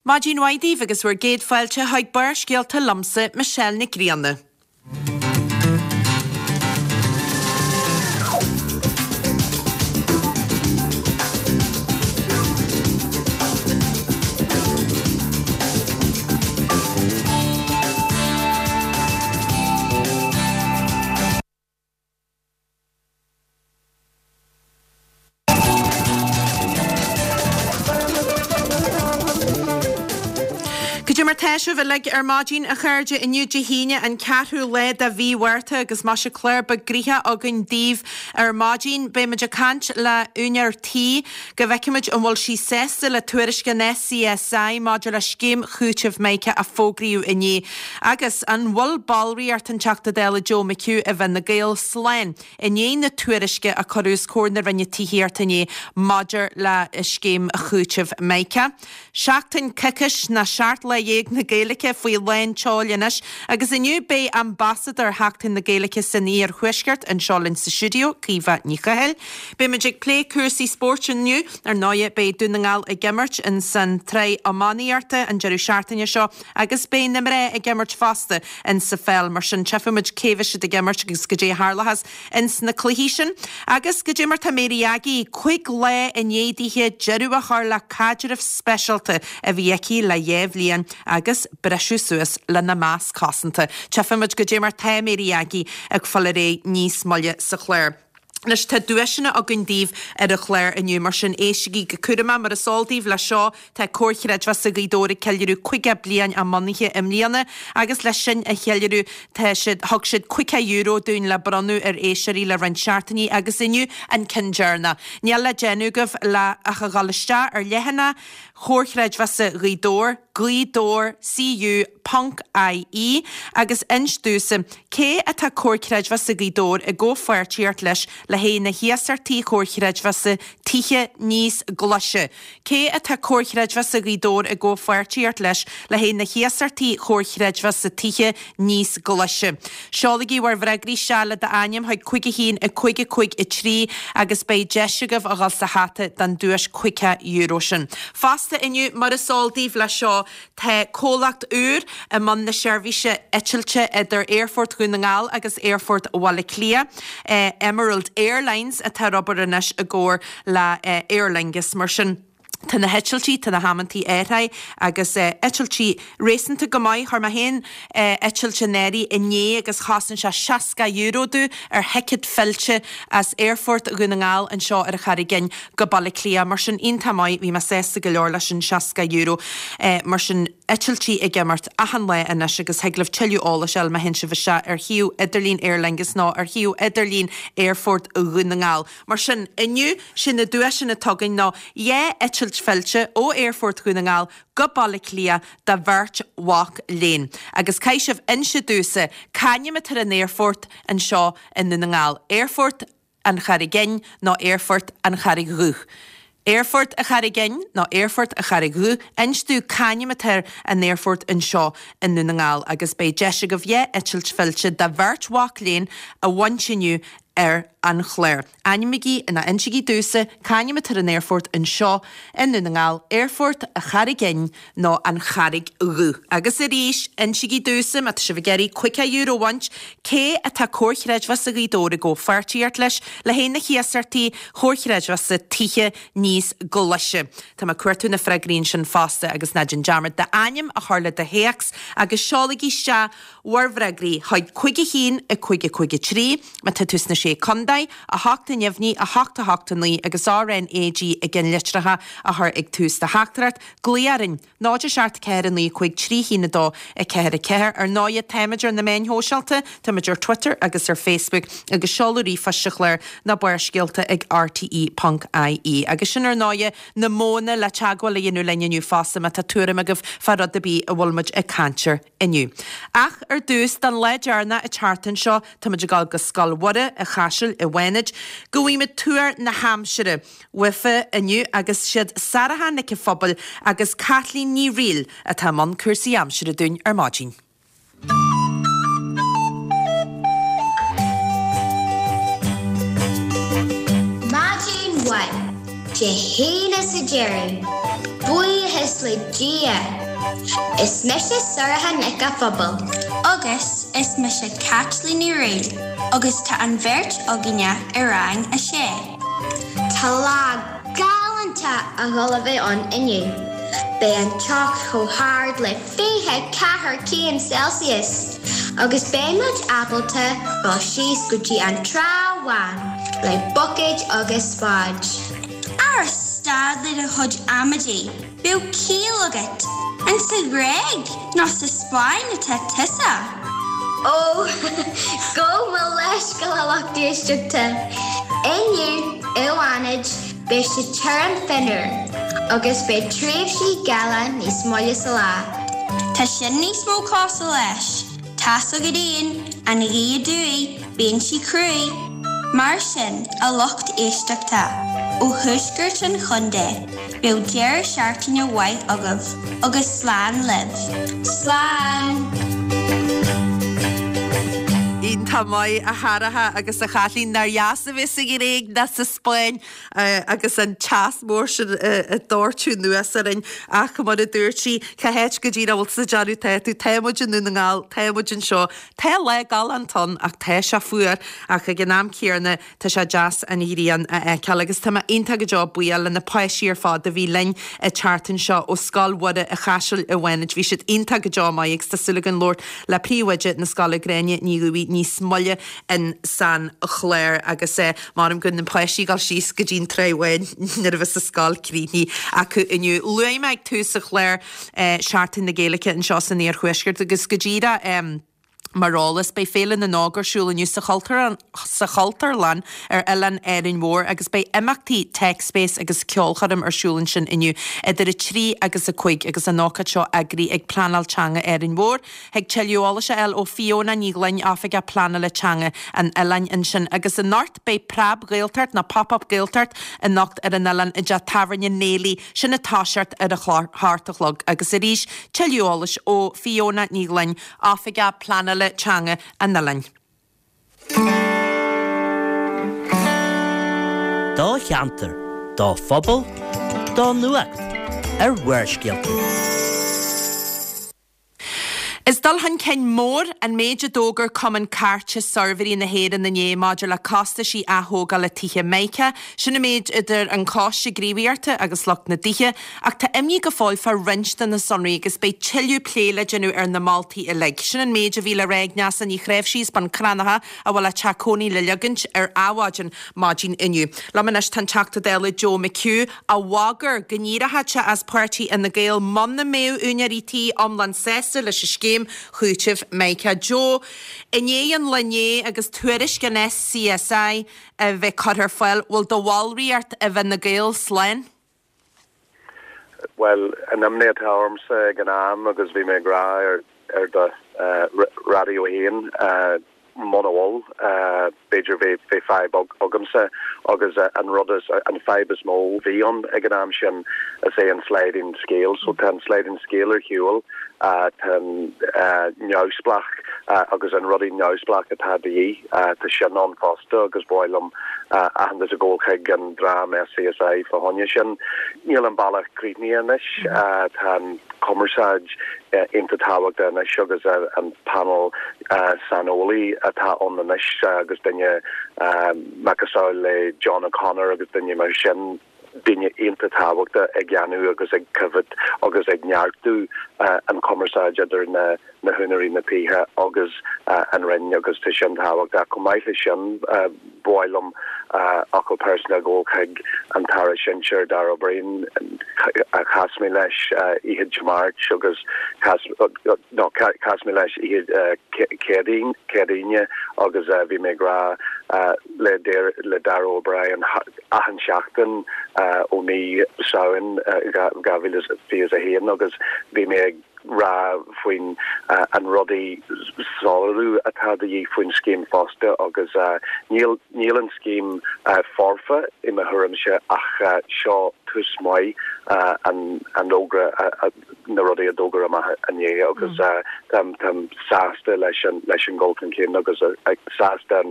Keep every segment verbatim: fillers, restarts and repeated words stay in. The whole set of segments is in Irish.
Maidin mhaith daoibh agus bhur gcéad fáilte chuig Barrscéalta liomsa, Michelle Nic Grianna. Cad é mar tá sibh uilig ar maidin, a chairde? Inniu Dé hAoine, an ceathrú lá de mhí Mhárta, agus maise clár beag gnoitheach againn daoibh ar maidin. Beidh muid ag caint le úinéir tí go bhfeicfimid an bhfuil sí sásta le tuairisc an SCSI maidir le scéim chúitimh Mica a fógraíodh inné. Agus an bhfuil ballraíocht an Teachta Dála Joe McHugh i bhFine Gael slán i ndiaidh na tuairisce a cuireadh os comhair na Roinne Tithíochta inné maidir le scéim chúitimh Mica. Seachtain coicís nó seacht lá dhéag na Gaeilge faoi lán tseoil anois agus inniu beidh ambasadóir Sheachtain na Gaeilge san Iarthuaisceart anseo linn sa stiúideo, Caoimhe Ní Chathail. Beidh muid ag plé cúrsaí spóirt inniu, ar ndóigh beidh Dún na nGall ag imirt in san tsraith iománaíochta an deireadh seachtaine seo agus beidh na mná ag imirt fosta in sa pheil, mar sin tchífimid cé bheidh siad ag imirt agus goidé a tharlóchas ins na cluichí sin. Agus goidé mar tá Mary Aggie, cúig lá i ndiaidh dithe deireadh a chur le caidreamh speisialta a bhí aici le dhá bhliain agus briseadh suas lena masc cosanta. Tchífimid goidé mar tá Mary Aggie ag fáil ar aghaidh níos moille sa chlár. Anois tá duaiseanna againn daoibh ar an chlár inniu, mar sin éistigí go cúramach. Mar is eol daoibh leis seo, tá Comhar Chreidmheasa Ghaoth Dobhair ag ceiliúradh caoga bliain a mbunaithe i mbliana agus leis sin a cheiliúradh tá siad, thug siad caoga euro dúinn le bronnadh ar éisteoirí le roinnt seachtainí agus inniu an ceann deireanach. Níl le déanamh agaibh le ach a dhul isteach ar leathanach Chomhar Chreidmheasa Ghaoth Dobhair, Gaoth Dobhair CU ponc IE, agus inis domhsa cé atá Comhar Creidmheasa Ghaoth Dobhair i gcomhpháirtíocht leis le haghaidh na hiasachtaí Chomhar Chreidmheasa Tithe Níos Glaise. Cé atá Comhar Chreidmheasa Ghaoth Dobhair i gcomhpháirtíocht leis le haghaidh na hiasachtaí Chomhar Chreidmheasa Tithe Níos Glaise? Seolaigí bhur bhfreagraí isteach le d'ainm chuig cúig a haon a cúig a cúig a trí agus beidh deis agaibh a dhul sa hata don duais caoga euro sin. Fosta inniu, mar is eol daoibh leis seo, tá comhlacht úr i mbun na seirbhíse eitilte idir Aerfort Dhún na nGall agus Aerfort Bhaile Átha Cliath. Emerald Airlines atá ar obair anois i gcomhar le Aer Lingus. Mar sin, tá na heitiltí, tá na hamantaí athraithe agus eitiltí réasúnta go maith. Chuir mé féin eitilt in áirithe inné agus chosain sé seasca euro domh ar thicéad fillte as Aerfort Dhún na nGall anseo ar an Charraig Fhinn go Baile Átha Cliath. Mar sin, iontach maith, bhí mé sásta go leor leis an seasca euro. Mar sin, eitiltí ag imeacht achan lá anois agus thig libh tuilleadh eolais a fháil má théann sibh isteach ar shuíomh idirlín Aer Lingus nó ar shuíomh idirlín Aerfort Dhún na nGall. Mar sin, inniu, sé na duaiseanna atá againn ná dhá eitilt fillte ó Aerfort Dhún na nGall go Baile Átha Cliath do bheirt mhac léinn. Agus caithfidh sibh inse domhsa c'ainm atá ar an aerfort anseo i nDún na nGall, Aerfort an Charraig Fhinn nó Aerfort an Charraig Dhubh? Aerfort a Charraig Fhinn nó Aerfort a Charraig Dhubh, inis domh c'ainm atá ar an aerfort anseo i nDún na nGall agus beidh deis agaibh dhá eitilt fillte do bheirt mhac léinn a bhaint inniu ar an chlár. Ainmnígí nó insigí domhsa c'ainm atá ar an aerfort anseo i nDún na nGall, Aerfort a Charraig Fhinn nó an Charraig Dhubh. Agus arís, insigí domhsa, má tá sibh ag iarraidh caoga euro a bhaint, cé atá Comhar Chreidmheasa Ghaoth Dobhair i gcomhpháirtíocht leis le haghaidh na hiasachtaí Chomhar Chreidmheasa Tithe Níos Glaise. Tá mé ag cuartú na freagraí ansin fosta agus ná déan dearmad d'ainm a chur le do théacs agus seolaigí isteach bhur bhfreagraí chuig cúig a haon a cúig a cúig a trí, má tá tú sna Sé Contae, a hocht a neamhní, a hocht a hocht a naoi agus RNAG i gceannlitreacha a chur ag tús do theachtaireacht. Glaoigh orainn, náid a seacht ceathair a naoi cúig trí haon a dó a ceathair a ceathair. Ar ndóighe, táimid ar na meáin shóisialta, táimid ar Twitter agus ar Facebook agus seoladh ríomhphoist sa chlár ná Barrscéalta ag rte ponc ie. Agus sin ar ndóighe na modhanna le teagmháil a dhéanamh linn inniu fosta má tá tuairim agaibh fá rud ar bith a bhfuil muid ag caint air inniu. Ach ar dtús, don lá deireanach an tseachtain seo, táimid ag dul go Scoil Mhuire an Chaisil i bhFánaid go bhfaighimid tuar na haimsire uafa inniu agus siad Sarah Nic an Phobail agus Caitlín Ní Fhrighil atá i mbun cúrsaí aimsire dúinn ar maidin. Maidin mhaith, Dé hAoine sa deireadh. Buíochas le Dia. Is mise Sorcha Nic an Phobail. Agus is mise Caitlín Ní Ré, agus tá an bheirt againne i rang a sé. Tá lá galánta ag dul a bheith ann inniu. Beidh an teocht chomh hard le fiche ceathair céim Celsius, agus beidh muid ábalta dul síos go dtí an trá bháin le buicéid agus spáid. Ara stad le do chuid amaidí, bíodh ciall agat, an sa Ghréig nó sa Spáinn atá tusa. Ó gabh mo leithscéal a lucht éisteachta. Inniu i bhFánaid beidh sé tirim fionnuar, agus beidh tréimhsí geala níos moille sa lá. Tá sin níos mó cosúil leis. Tá's agat féin, an ghaoth aduaidh, bíonn sí cruaidh. Mar sin, a lucht éisteachta, ó thuaisceart an chontae, bíodh deireadh seachtaine mhaith agaibh agus slán libh. Slán! Iontach maith a Shorcha agus a Chaitlín nár dheas a bheith sa Ghréig ná sa Spáinn agus an teas mór sin ag doirteadh anuas orainn ach mar a dúirt sí cá háit go díreach a bhfuil tú ag déanamh tá tú tá muid i nDún na nGall tá muid anseo Tá lá galánta ann ach tá sé fuar ach ag an am céanna tá sé deas an ghrian a fheiceáil agus tá mé iontach go deo buíoch le na páistí ar fad a bhí linn an tseachtain seo ó Scoil Mhuire an Chaisil i bhFánaid. Bhí siad iontach go deo maith agus tá súil againn labhairt le príomhoide na scoile Gráinne Ní Dhubhaigh níos moille in san chlár agus eh, measaim go na páistí ag dul síos go dtí an Trá Bháin nuair a bheas an scoil críochnaithe acu inniu. Luaigh mé ag tús an chláir eh, Seachtain na Gaeilge anseo san Iarthuaisceart agus go díreach um, Mar eolas beidh Féile na nÓg ar siúl inniu sa sa Chultúrlann ar Oileán Árainn Mhór agus beidh imeachtaí TechSpace agus ceolchoirm ar siúl ansin inniu idir a trí agus a cúig agus an ócáid seo eagraithe ag Pleanáil Teanga Árainn Mhór. Thig tuilleadh eolais a fháil ó Fiona Ní Ghlinn Oifigeach Pleanála Teanga an oileáin ansin agus anocht beidh Preab Gaeltacht nó Pop-up Gaeltacht anocht ar an oileán i dteach tábhairne Néilí sin ag toiseacht ar a hocht a chlog agus arís tuilleadh eolais ó Fiona Ní Ghlinn Oifigeach Pleanála Teanga an oileáin. Do cheantar, do phobal, do nuacht ar Bharrscéalta. Is dul chun cinn mór an méid a d'fhógair Cumann Cairte Suirbhéirí na hÉireann inné maidir le costaisí athógála tithe Mica, sin an méid idir an Coiste Gníomhaíochta agus lucht na dtithe, ach tá imní go fóill fá roinnt de na sonraí agus beidh tuilleadh plé le déanamh ar na moltaí uilig. Sin an méid a bhí le rá ag Neasa Ní Chréimhsí as Bun Cranncha a bhfuil a teach cónaí le ligean ar adhmhaidin maidin inniu. Liom anois tá an Teachta Dála Joe McHugh a bhagair go n-éireodh sé as páirtí Fhine Gael muna mbeadh úinéirí tí iomlán sásta leis an scéim chúitimh Mica. Joe, i ndiaidh an lae inné agus tuairisc an SCSI a bheith curtha ar fáil, bhfuil do bhallraíocht i bhFine Gael slán? Well, an imní atá ormsa ag an am agus bhí mé ag rá ar ar do uh, raidió féin uh, muna bhfuil uh, b'fhéidir bhí bhí fadhb agamsa agus uh, an rud is an fadhb is mó bhí ann ag an am sin is é an sliding scale, so tá an sliding scale ar shiúl uh, tá uh, neamhspleách uh, agus an rudaí neamhspleách atá de dhíth uh, tá sin ann fosta agus ba mhaith liom uh, aitheantas a ghabháil chuig an dream SCSI fá choinne sin. Níl an bealach críochnaithe anois uh, tá an cumarsáid uh, iontach tábhachtach anois agus uh, an panel uh, saineolaí atá ann anois uh, agus duine uh, macasamhail le John O'Connor agus duine mar sin duine iontach tábhachtach ag déanamh agus ag coimhéad agus ag neartú uh, an cumarsáid idir na na húinéirí na dtithe agus uh, an Roinn agus tá sin tábhachtach chomh maith le sin uh, ba mhaith liom uh, focal pearsanta a ghabháil chuig an tAire Sinsir Darragh O'Brien a chas mé leis uh, oíche Dé Máirt agus chas, uh, no, chas mé leis oíche uh, Céadaoin Céadaoine agus uh, bhí mé ag rá uh, le le Darragh O'Brien achan seachtain uh, ó mí Samhain uh, dhá mhíle fiche a haon agus bhí mé ag rá faoin uh, an rudaí soiléiriú atá de dhíth faoin scéim fosta agus uh, níl níl an scéim uh, foirfe i mo thuairimse ach uh, seo tús maith uh, an an fhógra uh, uh, na rudaí a d'fhógair amach inné agus mm. uh, táim táim sásta leis an leis an dul chun cinn agus uh, ag sásta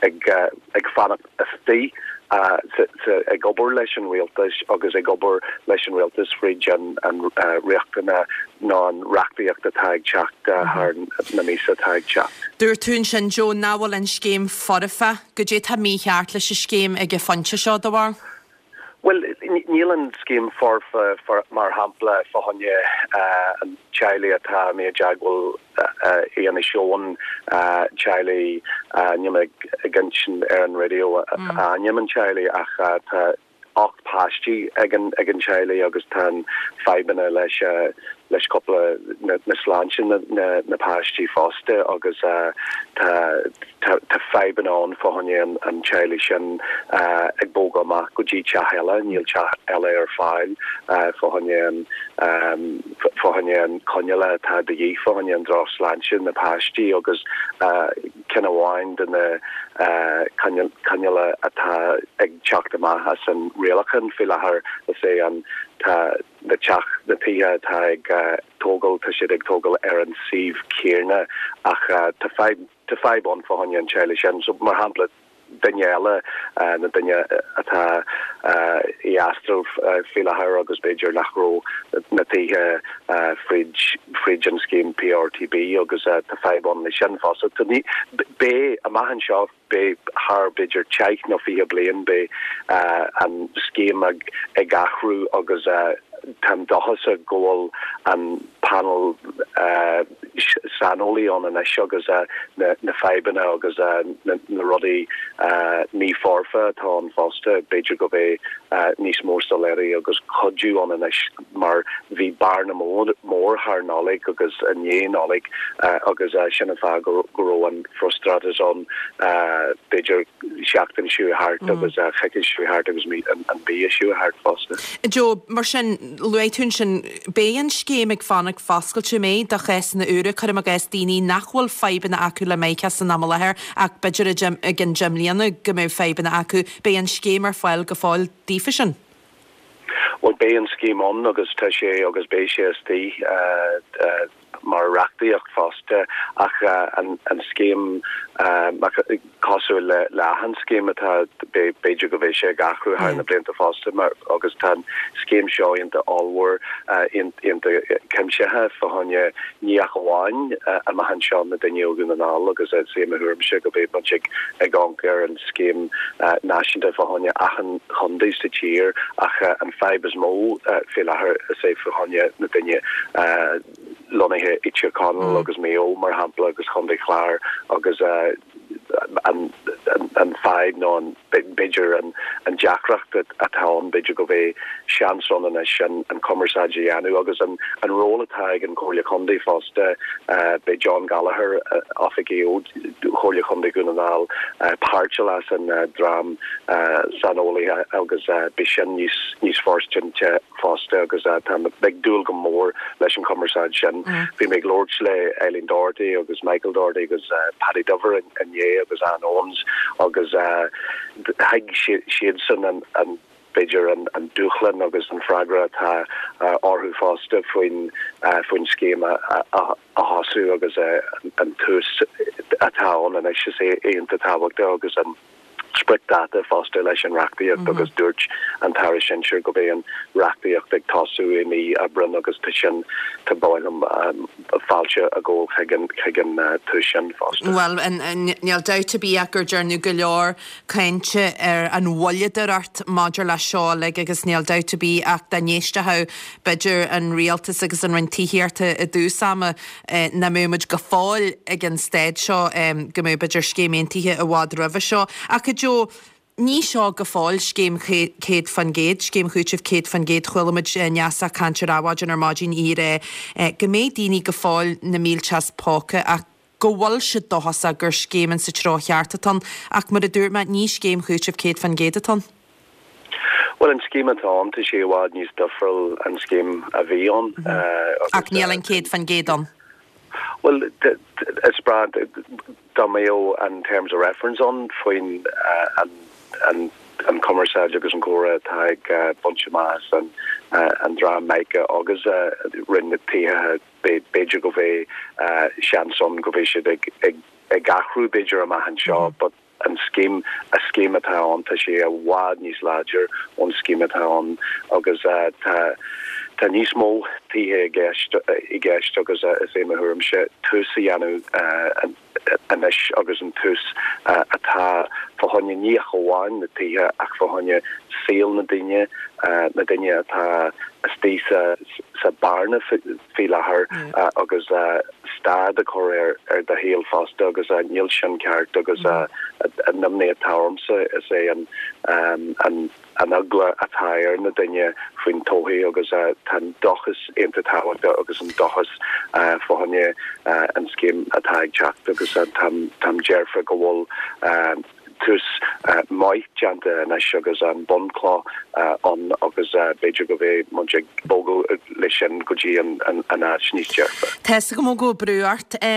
ag uh, ag fanacht istigh ag obair leis an rialtas agus ag obair leis an rialtas fríd an an reachtanna nó an reachtaíocht atá ag teacht thar na míosa atá ag teacht. Dúirt tú ansin Joe nach bhfuil an scéim foirfe, goidé tá mícheart leis an scéim ag an phointe seo do bharúil? Well níl an scéim foirfe mar shampla fá choinne an teaghlaigh atá mé i dteagmháil i Inis Eoghain teaghlaigh níl mé ag insint ar an raidió ainm an teaghlaigh ach tá ocht páistí ag an ag an teaghlaigh agus tá fadhbanna leis leis cúpla na, na sláinte na, na, na páistí fosta agus uh, tá tá, tá fadhbanna ann fá choinne an, an teaghlaigh sin uh, ag bogadh amach go dtí teach eile níl teach eile ar fáil uh, fá choinne an um, fá choinne an coinneála atá de dhíth fá choinne an drochshláinte na páistí agus uh, ceann amháin de na uh, coinneála atá ag teacht amach as an rialachán faoi láthair is é an tá na teach na tithe atá ag uh, tógáil tá siad ag tógáil ar an suíomh céanna ach uh, tá fadhb tá fadhb ann fá choinne an teaghlaigh sin so mar shampla duine eile uh, na duine atá uh, i Astral uh, faoi láthair agus b'fhéidir nach raibh na tithe uh, fríd fríd an scéim PRTB agus uh, tá fadhb ann le sin fosta Tá ní beidh amach anseo beidh thar b'fhéidir deich nó fiche bliain beidh uh, an scéim ag ag athrú agus uh, Táim dóchasach go bhfuil an panel uh, saineolaí ann anois agus uh, na, na fadhbanna agus uh, na, na rudaí uh, ní foirfe atá ann fosta b'fhéidir go mbeidh uh, níos mó soiléirí agus cuidiú ann anois mar bhí bearna mór mór thar Nollaig agus i ndiaidh Nollaig uh, agus uh, sin an fáth go go raibh an frustrachas ann uh, b'fhéidir seachtain seo thart mm. agus uh, coicís seo thart agus mí an, an mhí seo thart fosta. Joe mar sin luaigh tú sin beidh an scéim ag fanacht foscailte mé do chásanna úra cuirim i gcás daoine nach bhfuil fadhbanna acu le Mica san am i láthair ach b'fhéidir i gceann deich mbliana go mbeidh fadhbanna acu beidh an scéim ar fáil go fóill daofa sin. Well beidh an scéim ann agus tá sé agus beidh sé istigh uh, uh, mar reachtaíocht fosta ach uh, an, an scéim uh, cosúil le le an scéim atá b'fhéidir go mbeidh sé ag athrú thar na blianta fosta mar agus tá scéim seo iontach ollmhór uh, iontach cuimsitheach fá choinne ní ach amháin uh, amach anseo na daoine ó Dhún na nGall agus sé mo thuairimse go mbeidh muid ag ag amharc ar an scéim uh, náisiúnta fá choinne achan chontae sa tír ach uh, an fadhb is mó uh, faoi láthair is é fá choinne na daoine uh, lonnaithe i Tír Chonaill mm. agus Maigh Eo mar shampla agus Chontae Chláir agus uh, an, an, an fadhb nó an b'fhéidir an, an deacracht atá ann b'fhéidir go mbeidh seans ann anois an, an cumarsáid a dhéanamh agus an, an ról atá ag an Chomhairle Contae fosta uh, beidh John Gallagher uh, oifigeach Chomhairle Contae Dhún na nGall uh, páirteach as an uh, dream uh, saineolaithe agus uh, beidh sin níos níos forstinte fosta agus uh, tá ag dúil go mór leis an cumarsáid sin. Mm. Bhí mé ag labhairt le Eileen Doherty agus Michael Doherty agus uh, Paddy Dover inné agus Ann Owens agus uh, thuig siadsan an, an b'fhéidir an, an dúshlán agus an freagra atá uh, orthu fosta faoin uh, faoin scéim a, a, a thosú agus uh, an tús atá ann anois is é iontach tábhachtach agus an spriocdháta fosta leis an reachtaíocht mm -hmm. agus dúirt an tAire Sinsir go mbeidh an reachtaíocht ag tosú i mí Aibreáin agus tá sin tá báim um, fáilte a ggó chuig chuig an uh, tús sin fosta. Well níl dabht ar bith gur déanadh go leor cainte ar an mhoilleadóireacht maidir le seo le agus níl dabht ar bith ach dá n-éistfeadh b'fhéidir an rialtas agus an Roinn Tithíochta i dtús ama eh, nach mbeadh muid go fóill ag an staid seo go mbeadh b'fhéidir scéim aontaithe i bhfad roimhe seo ach Joe ní seo go fóill scéim céad faoin gcéad, scéim chúitimh céad faoin gcéad chuala muid Neasa ag caint ar maidin ar maidin í go mbeidh daoine go fóill na mílte as póca ach go bhfuil siad dóchasach gur scéim sa treo cheart atá ann ach mar a dúirt mé ní scéim chúitimh céad faoin gcéad atá ann. Well an scéim atá ann tá sé i bhfad níos difriúil an scéim a bhí ann. Mm -hmm. Ach níl an céad faoin gcéad ann. Well is breá dá mbeadh an terms of reference ann faoin uh, an an an cumarsáid agus an comhrá atá ag uh, baint amach an uh, an dream Mica agus uh, Roinn na Tithe b'fhéidir go mbeidh uh, seans ann go mbeidh siad ag ag ag athrú b'fhéidir amach anseo mm -hmm. but an scéim a scéim atá ann tá sé i bhfad níos láidir ón scéim atá ann agus tá tá níos mó tithe i gceist i gceist agus is é mo thuairimse tús a dhéanamh anois agus an tús atá fá choinne ní ach amháin na tithe ach fá choinne saol na daoine na daoine atá istigh sa sa bearna faoi láthair agus stad a chur ar ar do shaol fosta agus níl sin ceart agus an imní atá ormsa is é an an an eagla atá ar na daoine faoin todhchaí agus tá an dóchas iontach tábhachtach agus an dóchas fá choinne an scéim atá ag teacht agus táim dearfa go bhfuil tús maith déanta anois agus an bunchloch ann agus b'fhéidir go mbeidh muid ag bogadh leis sin go dtí an áit níos dearfa. Tá 'fhios agam go bhfuil brú ort a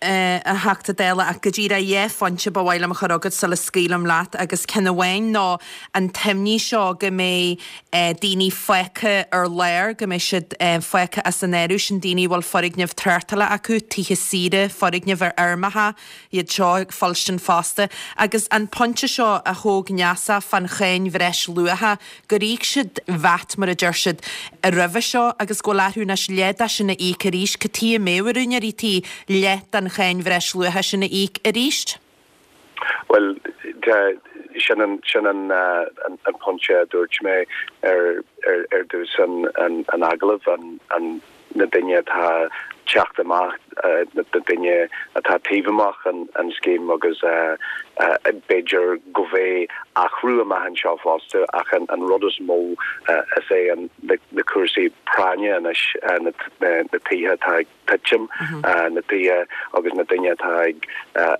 Theachta Dála ach go díreach dhá phointe ba mhaith liom a chur chugat sula scaoilim leat agus ceann amháin ná an t-imní seo go mbeidh daoine fágtha ar lár, go mbeidh siad fágtha as an áireamh, sin daoine a bhfuil foirgnimh tráchtála acu, tithe saoire, foirgnimh ar fheirmeacha, iad seo ag fuilstin fosta. Agus an pointe seo a thóg Neasa fán cháin bhreisluacha, gur íoc siad VAT, mar a deir siad, roimhe seo agus go bhfuil orthu anois leath de sin a íoc arís. Cad chuige a mbeadh ar úinéirí tí leath den cháin bhreisluacha sin a íoc arís? Bhuel, sin an sin an an pointe a dúirt mé ar ar ar dtús an an an agallaimh an an na daoine atá teacht amach na daoine atá taobh amach an an scéim agus b'fhéidir go mbeidh athrú amach anseo fosta ach an an rud is mó is é an na cúrsaí práinne anois na na tithe atá ag titim na tithe agus na daoine atá ag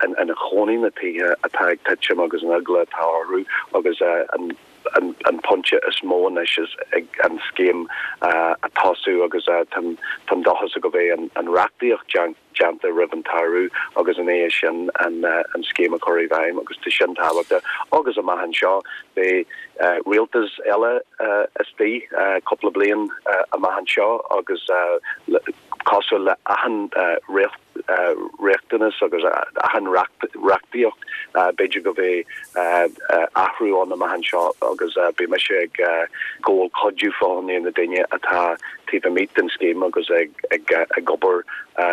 ina chónaí na tithe atá ag titim agus an eagla atá orthu agus an an an pointe is mó anois is ag an scéim a tosú agus táim táim dóchasach go mbeidh an an reachtaíocht déanta roimh an tsamhradh agus ina dhiaidh sin an an scéim a chur i bhfeidhm agus tá sin tábhachtach agus amach anseo beidh rialtas eile istigh cúpla bliain amach anseo agus cosúil le achan riachtanas agus achan reachtaíocht b'fhéidir go mbeidh athrú ann amach anseo agus beidh mise ag gabháil cuidiú fá choinne na daoine atá taobh amuigh den scéim agus ag ag obair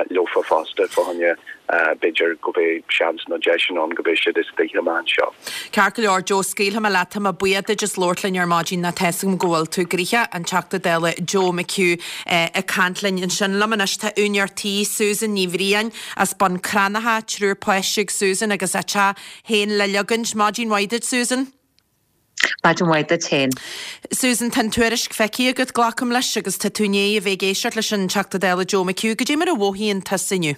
leofa fosta fá choinne b'fhéidir go mbeidh seans nó deis ann go mbeidh siad istigh amach anseo. Ceart go leor, Joe, scaoilfidh mé leat, tá mé buíoch duit as labhairt linn ar maidin ná tá 'fhios agam go bhfuil tú gnoitheach, an Teachta Dála Joe McHugh ag caint linn ansin. Liom anois tá úinéir tí, Susan Ní Bhriain as Bun Cranncha, triúr páistí ag Susan agus a teach féin le leagaint. Maidin mhaith duit, Susan. Maidin mhaith duit féin. Susan, tá an tuairisc feicthe agat, glacaim leis, agus tá tú i ndiaidh a bheith ag éisteacht leis an Teachta Dála Joe McHugh. Goidé mar a mhothaíonn tusa inniu?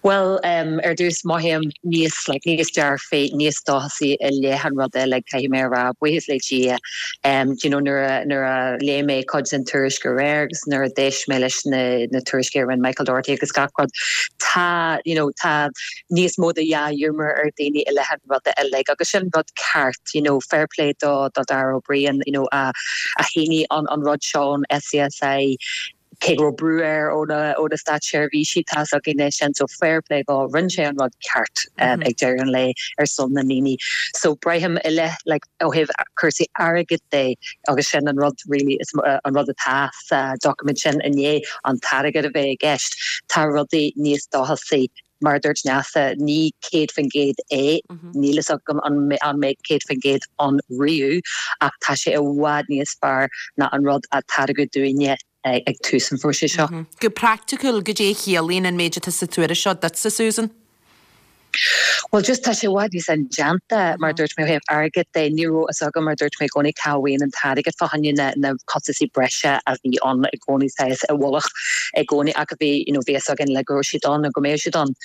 Bhuel, um, ar dtús mothaím níos like, níos dearfaí, níos dóchasaí i leith an rud uilig caithfidh mé a rá, buíochas le Dia. Um, you know, nuair a, nuair a léigh mé cuid den tuairisc aréir agus nuair a d'éist mé leis na, na tuairiscí a rinne Michael Doherty agus gach rud, tá, you know, tá níos mó de dhea-ghiúmar ar daoine i leith an ruda uilig agus sin rud ceart, you know, fair play do do Darragh O'Brien, you know, a, a shínigh an, an rud seo ón SCSI cé go raibh brú air ó na ó na státseirbhísí tá againn é sin so fair play dó rinne sé an rud ceart um, ag deireadh an lae ar son na ndaoine. So braithim i leith like, ó thaobh cúrsaí airgid de agus sin an rud really is uh, an rud atá sa document sin inné an t-airgead a bheith i gceist tá rudaí níos dóchasaí mar dúirt Neasa ní céad faoin gcéad é níl a fhios agam an an mbeidh céad faoin gcéad ann riamh ach tá sé i bhfad níos fearr ná an rud a tairgeadh dúinne ag tús an phróisis seo. Go praiticiúil goidé a chiallaíonn an méid atá sa tuairisc seo duitse Susan? Well just tá sé i bhfad níos indéanta mar dúirt mé thaobh airgid de ní raibh a fhios agam mar dúirt mé i gcónaí cá bhfuil an t-airgead fá choinne na na costaisí breise a bhí ann i gcónaí saghas i bhfolach i gcónaí ach a bhí you know bhí a fhios againn le go raibh siad ann nó go mbeadh siad ann.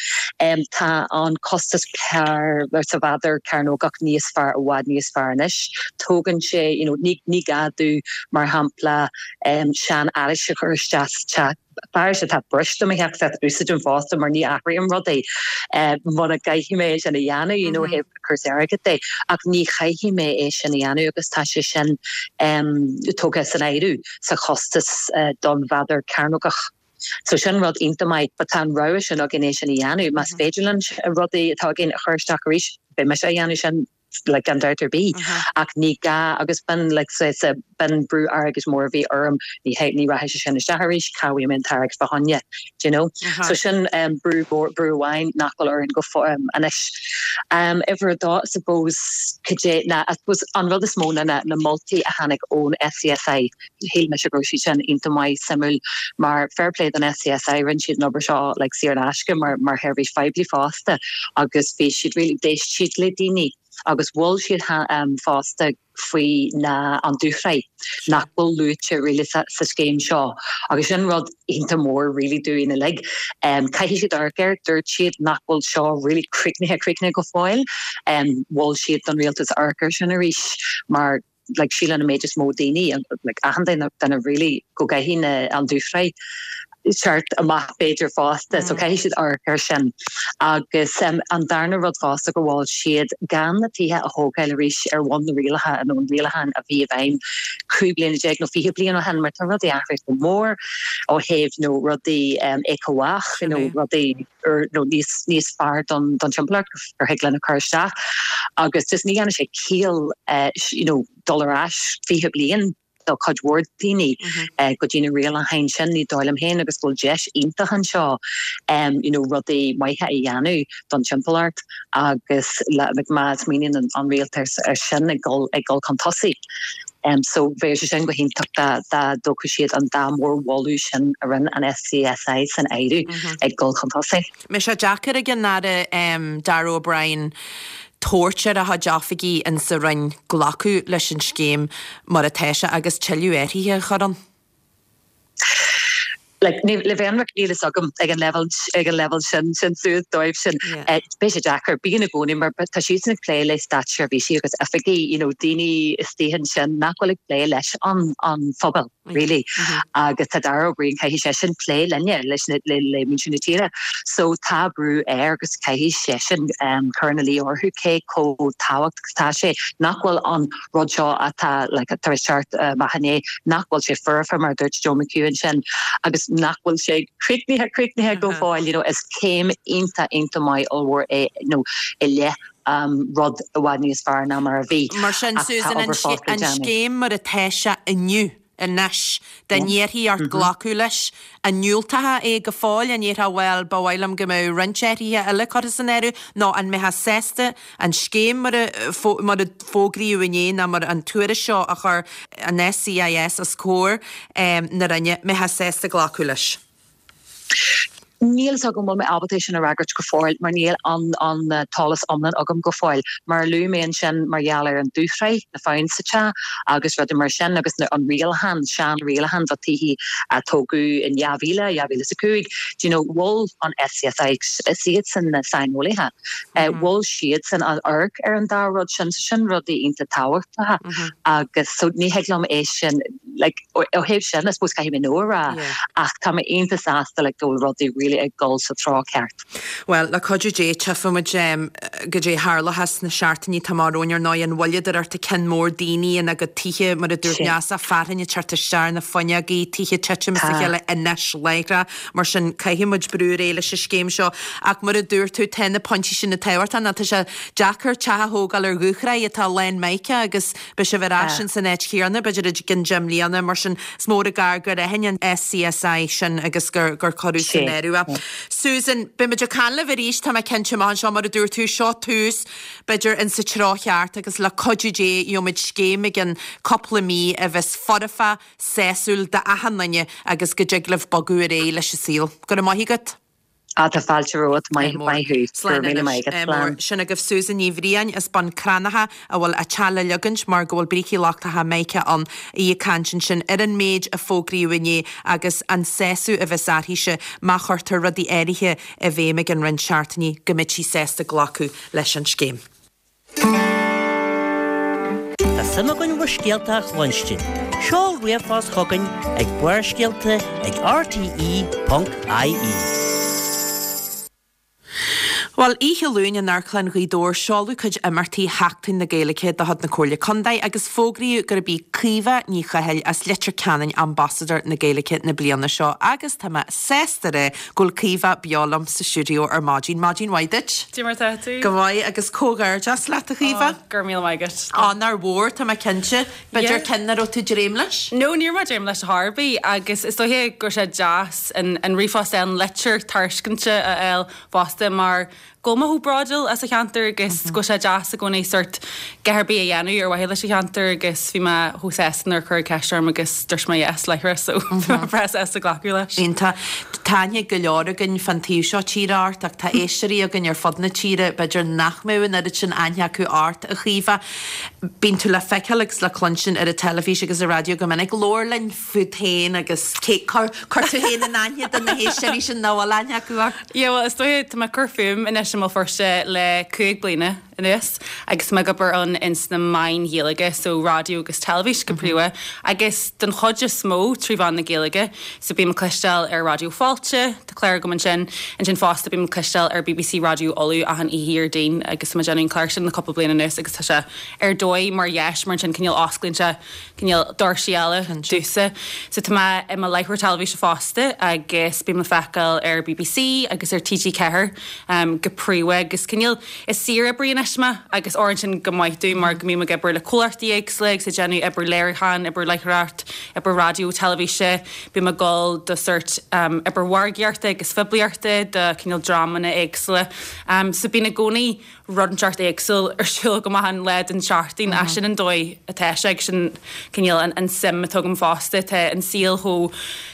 Um, tá an costas per sa mhéadar cearnógach níos fearr i bhfad níos fearr anois. Tógann sé you know, ní, ní gá domh mar shampla um, seanfhearais a chur isteach sa teach fearais atá briste mo theach úsáidim fosta mar ní athraím rudaí muna gcaithfidh mé sin a dhéanamh you know thaobh cúrsaí airgid de ach ní chaithfidh mé é sin a dhéanamh agus tá sé sin um, tógtha san áireamh sa chostas uh, don mhéadar cearnógach. So sin rud iontach maith, but tá an rogha sin againn é sin a dhéanamh. Más féidir linn rudaí atá againn a chur isteach arís, beidh mise á dhéanamh sin like gan dabht ar bith. Ach ní gá agus b'in like saghas b'in brú airgid mór a bhí orm, ní hé ní rachaidh sé sin isteach arís, cá bhfaighidh mé an t-airgead fá choinne, do you know? So sin um, brú brú amháin nach bhfuil orainn go um, anois. Um, uimhir a dó, I suppose, cad é ná I suppose an rud is mó ná na, na moltaí a tháinig ón SCSI. Shíl mise go raibh siad sin iontach maith suimiúil mar fair play don SCSI rinne siad an obair seo like saor in aisce mar mar sheirbhís phoiblí fosta agus bhí siad really d'éist siad le daoine agus mhol siad um, fosta faoi na an dúshraith nach bhfuil luaite really sa, sa scéim seo agus sin rud iontach mór really dúinn uilig. Um, Caithfidh siad amharc air dúirt siad nach bhfuil seo really críochnaithe críochnaithe go fóill um, mhol siad don rialtas amharc air sin arís mar like síleann an méid is mó daoine like achan duine duine really go gcaithfidh na an dúshraith teacht amach b'fhéidir fosta, so caithfidh siad amharc air sin. Agus um, an darna rud fosta go bhfuil siad gan na tithe a thógáil arís ar bhonn na rialacha nó an rialachán a bhí i bhfeidhm cúig bliana déag nó fiche bliain ó shin mar tá rudaí athraithe go mór ó thaobh nó rudaí um, éiceabhách nó rudaí or nó níos níos fearr don don timpeallacht gur thig linn a chur isteach agus just ní dhéanann sé ciall uh, you know, dul ar ais fiche bliain do chuid mhór daoine mm-hmm. go dtí na rialacháin sin ní dóigh liom féin agus bhfuil deis iontach anseo um, you know, rudaí maithe a dhéanamh don timpeallacht agus má smaoiníonn an, an rialtas ar sin ag dul ag dul chun tosaigh. Um, so bheadh sé sin go hiontach dá dá dtógfadh siad an dá mhórmholadh sin a rinne an SCSI san áireamh mm -hmm. ag dul chun tosaigh. Mbeidh sé deacair ag an Aire um, Darragh O'Brien tabhairt ar a chuid oifigigh in sa Roinn glacadh leis an scéim mar atá sé agus tuilleadh athruithe a chur ann. Like, le bheith ionraic níl a fhios agam ag an level ag an level sin sin suas dóibh sin yeah. Beidh sé deacair bíonn i gcónaí mar tá siad ag plé le státseirbhísigh agus oifigigh you know, daoine istigh ansin nach bhfuil ag plé leis an an phobal really mm -hmm. agus tá Darragh O'Brien caithfidh sé sin plé linne leis le le muintir na tíre so tá brú air agus caithfidh sé sin um, cur ina luí orthu cé chomh tábhachtach tá sé nach bhfuil an rud seo atá like, tar éis teacht uh, maithné nach bhfuil sé foirfe mar dúirt Joe McHugh sin agus nach bhfuil sé críochnaithe críochnaithe go fóill you know, is céim iontach iontach maith ollmhór é nó i leith um, rud i bhfad níos fearr ná mar a bhí. Mar sin Susan an scéim mar atá sé inniu anois dá n-iarrfaí ort glacadh leis an ndiúltófá é go fóill an ndéarfá bhuel ba mhaith liom go mbeadh roinnt athruithe eile curtha san áireamh nó an mbeifeá sásta an scéim mar a mar a fógraíodh inné ná mar an tuairisc seo a chuir an SCIS os comhair na Roinne mbeifeá sásta glacadh leis. Níl a fhios agam bhfuil mé ábalta sin a fhreagairt go fóill mar níl an an t-eolas iomlán agam go fóill. Mar a luaigh mé ansin mar gheall ar an dúshraith, na fabhtáin sa teach agus rudaí mar sin agus an rialachán, sean-rialachán do tithe a tógadh in dhá mhíle, dhá mhíle is a cúig, do you know, mhol an SCSI, is iadsan na saineolaithe, mhol siadsan an amharc ar an dá rud sin, so sin rudaí iontach tábhachtacha agus so ní thig liom é sin like ó thaobh sin I suppose caithfidh mé no a rá ach tá mé iontach sásta like go bhfuil rudaí really ag dul sa treo ceart. Well, le cuidiú Dé tchífimid goidé a tharlóchas sna seachtainí atá amach romhainn ar ndóigh an mhoilleadóireacht ag ceann mór daoine ina gcuid tithe mar a dúirt Neasa fearthainn ag teacht isteach ar na fuinneogaí, tithe titim as a chéile anois láithreach mar sin caithfidh muid brú ar aghaidh leis an scéim seo ach mar a dúirt tú tá na pointí sin tábhachtach nó tá sé deacair teach a thógáil ar dhúshraith atá lán mica agus beidh sibh ar ais in san áit chéanna b'fhéidir i gcionn deich mbliana mar sin is mór an gar gur aithin an SCSI sin agus gur gur cuireadh san áireamh é. Susan, beidh muid ag caint libh arís tá mé cinnte amach anseo mar a dúirt tú seo tús b'fhéidir in sa treo cheart agus le cuidiú Dé gheobhaimid scéim i gcionn cúpla mí a bheas foirfe sásúil d'achan duine agus go dtig libh bogadh ar aghaidh leis an saol. Go raibh maith agat. Á tá fáilte romhat, maith maith thú. Go raibh míle maith agat. Slán. Sin agaibh Susan Ní Bhriain as Bun Cranncha a bhfuil a teach le ligeaint mar go bhfuil brící lochtacha mica ann. Í ag caint ansin ar an méid a fógraíodh inné agus an sásamh a bheas uirthise má chuirtear rudaí áirithe i bhfeidhm i gcionn roinnt seachtainí go mbeidh sí sásta glacadh leis an scéim. Tá suim againn bhur scéalta a chluinstin. Seol ríomhphost chugainn ag Barrscéalta ag rte ponc ie. Bhuel, oíche Luain in Amharclann Ghaoth Dobhair seoladh cuid imeachtaí Sheachtain na Gaeilge de chuid na Comhairle Contae agus fógraíodh gurb í Caoimhe Ní Chathail as Leitir Ceanainn Ambasadóir na Gaeilge na bliana seo agus tá mé sásta a rá go bhfuil Caoimhe beo liom sa stiúideo ar maidin. Maidin mhaith duit. Cad é mar tá tú? Go maith agus comhghairdeas leat a Chaoimhe. Go raibh míle maith agat. Onóir mhór tá mé cinnte. B'fhéidir ceann nach raibh tú ag dréim leis? No, ní raibh mé ag dréim leis ar bith agus is dóiche go raibh sé deas an an ríomhphost an litir tairiscinte a fháil fosta mar go bhfuil mé chomh bródúil as an cheantar agus go bhfuil sé deas i gcónaí sort a dhath ar bith a dhéanamh ar mhaithe leis an cheantar agus bhí mé chomh sásta nuair a cuireadh ceist orm agus dúirt mé yes láithreach so bhí mé breá sásta glacadh leis. Iontach. Tá aithne go leor againn fan taobh seo tíre ort ach tá éisteoirí againn ar fud na tíre b'fhéidir nach mbeadh an oiread sin aithne acu ort a Chaoimhe. Bíonn tú le feiceáil agus le cluinstin ar an teilifís agus ar raidió go minic. Labhair linn fút féin agus cé cuir cuir tú féin in aithne do na héisteoirí sin nach bhfuil aithne acu ort. Yeah, well, is dóiche tá mé ag cur fúm anois i mBéal Feirste le cúig bliana anuas agus mé ag obair ann ins na meáin Ghaeilge, so raidió agus teilifís go príomha, agus den chuid is mó trí mheán na Gaeilge, so bím ag cloisteáil ar Raidió Fáilte, tá clár agam ansin, ansin fosta bím ag cloisteáil ar BBC Raidió Uladh achan oíche Déardaoin agus tá mé ag déanamh an clár sin le cúpla bliain anuas agus tá sé ar dóigh mar dheis mar ansin cineál osclaíonn sé cineál doirsí eile domhsa. So tá mé i mo láithreoir teilifíse fosta agus bím le feiceáil ar BBC agus ar TG Ceathair um, go príomha agus cineál is saoroibrí anois mé agus oireann sin go maith dom mar go mbím ag obair le comhlachtaí éagsúla agus ag déanamh obair léiriúcháin, obair láithreoireacht, obair raidió, teilifíse, bím ag gabháil do sort um, obair mhargaíochta agus phoiblíochta do cineál dreamanna éagsúla. Um, so bíonn i gcónaí rud inteacht éagsúil ar siúl go maith an lá den tseachtain mm -hmm. sin an dóigh atá sé sin cineál an, an suim atá agam fosta tá an saol chomh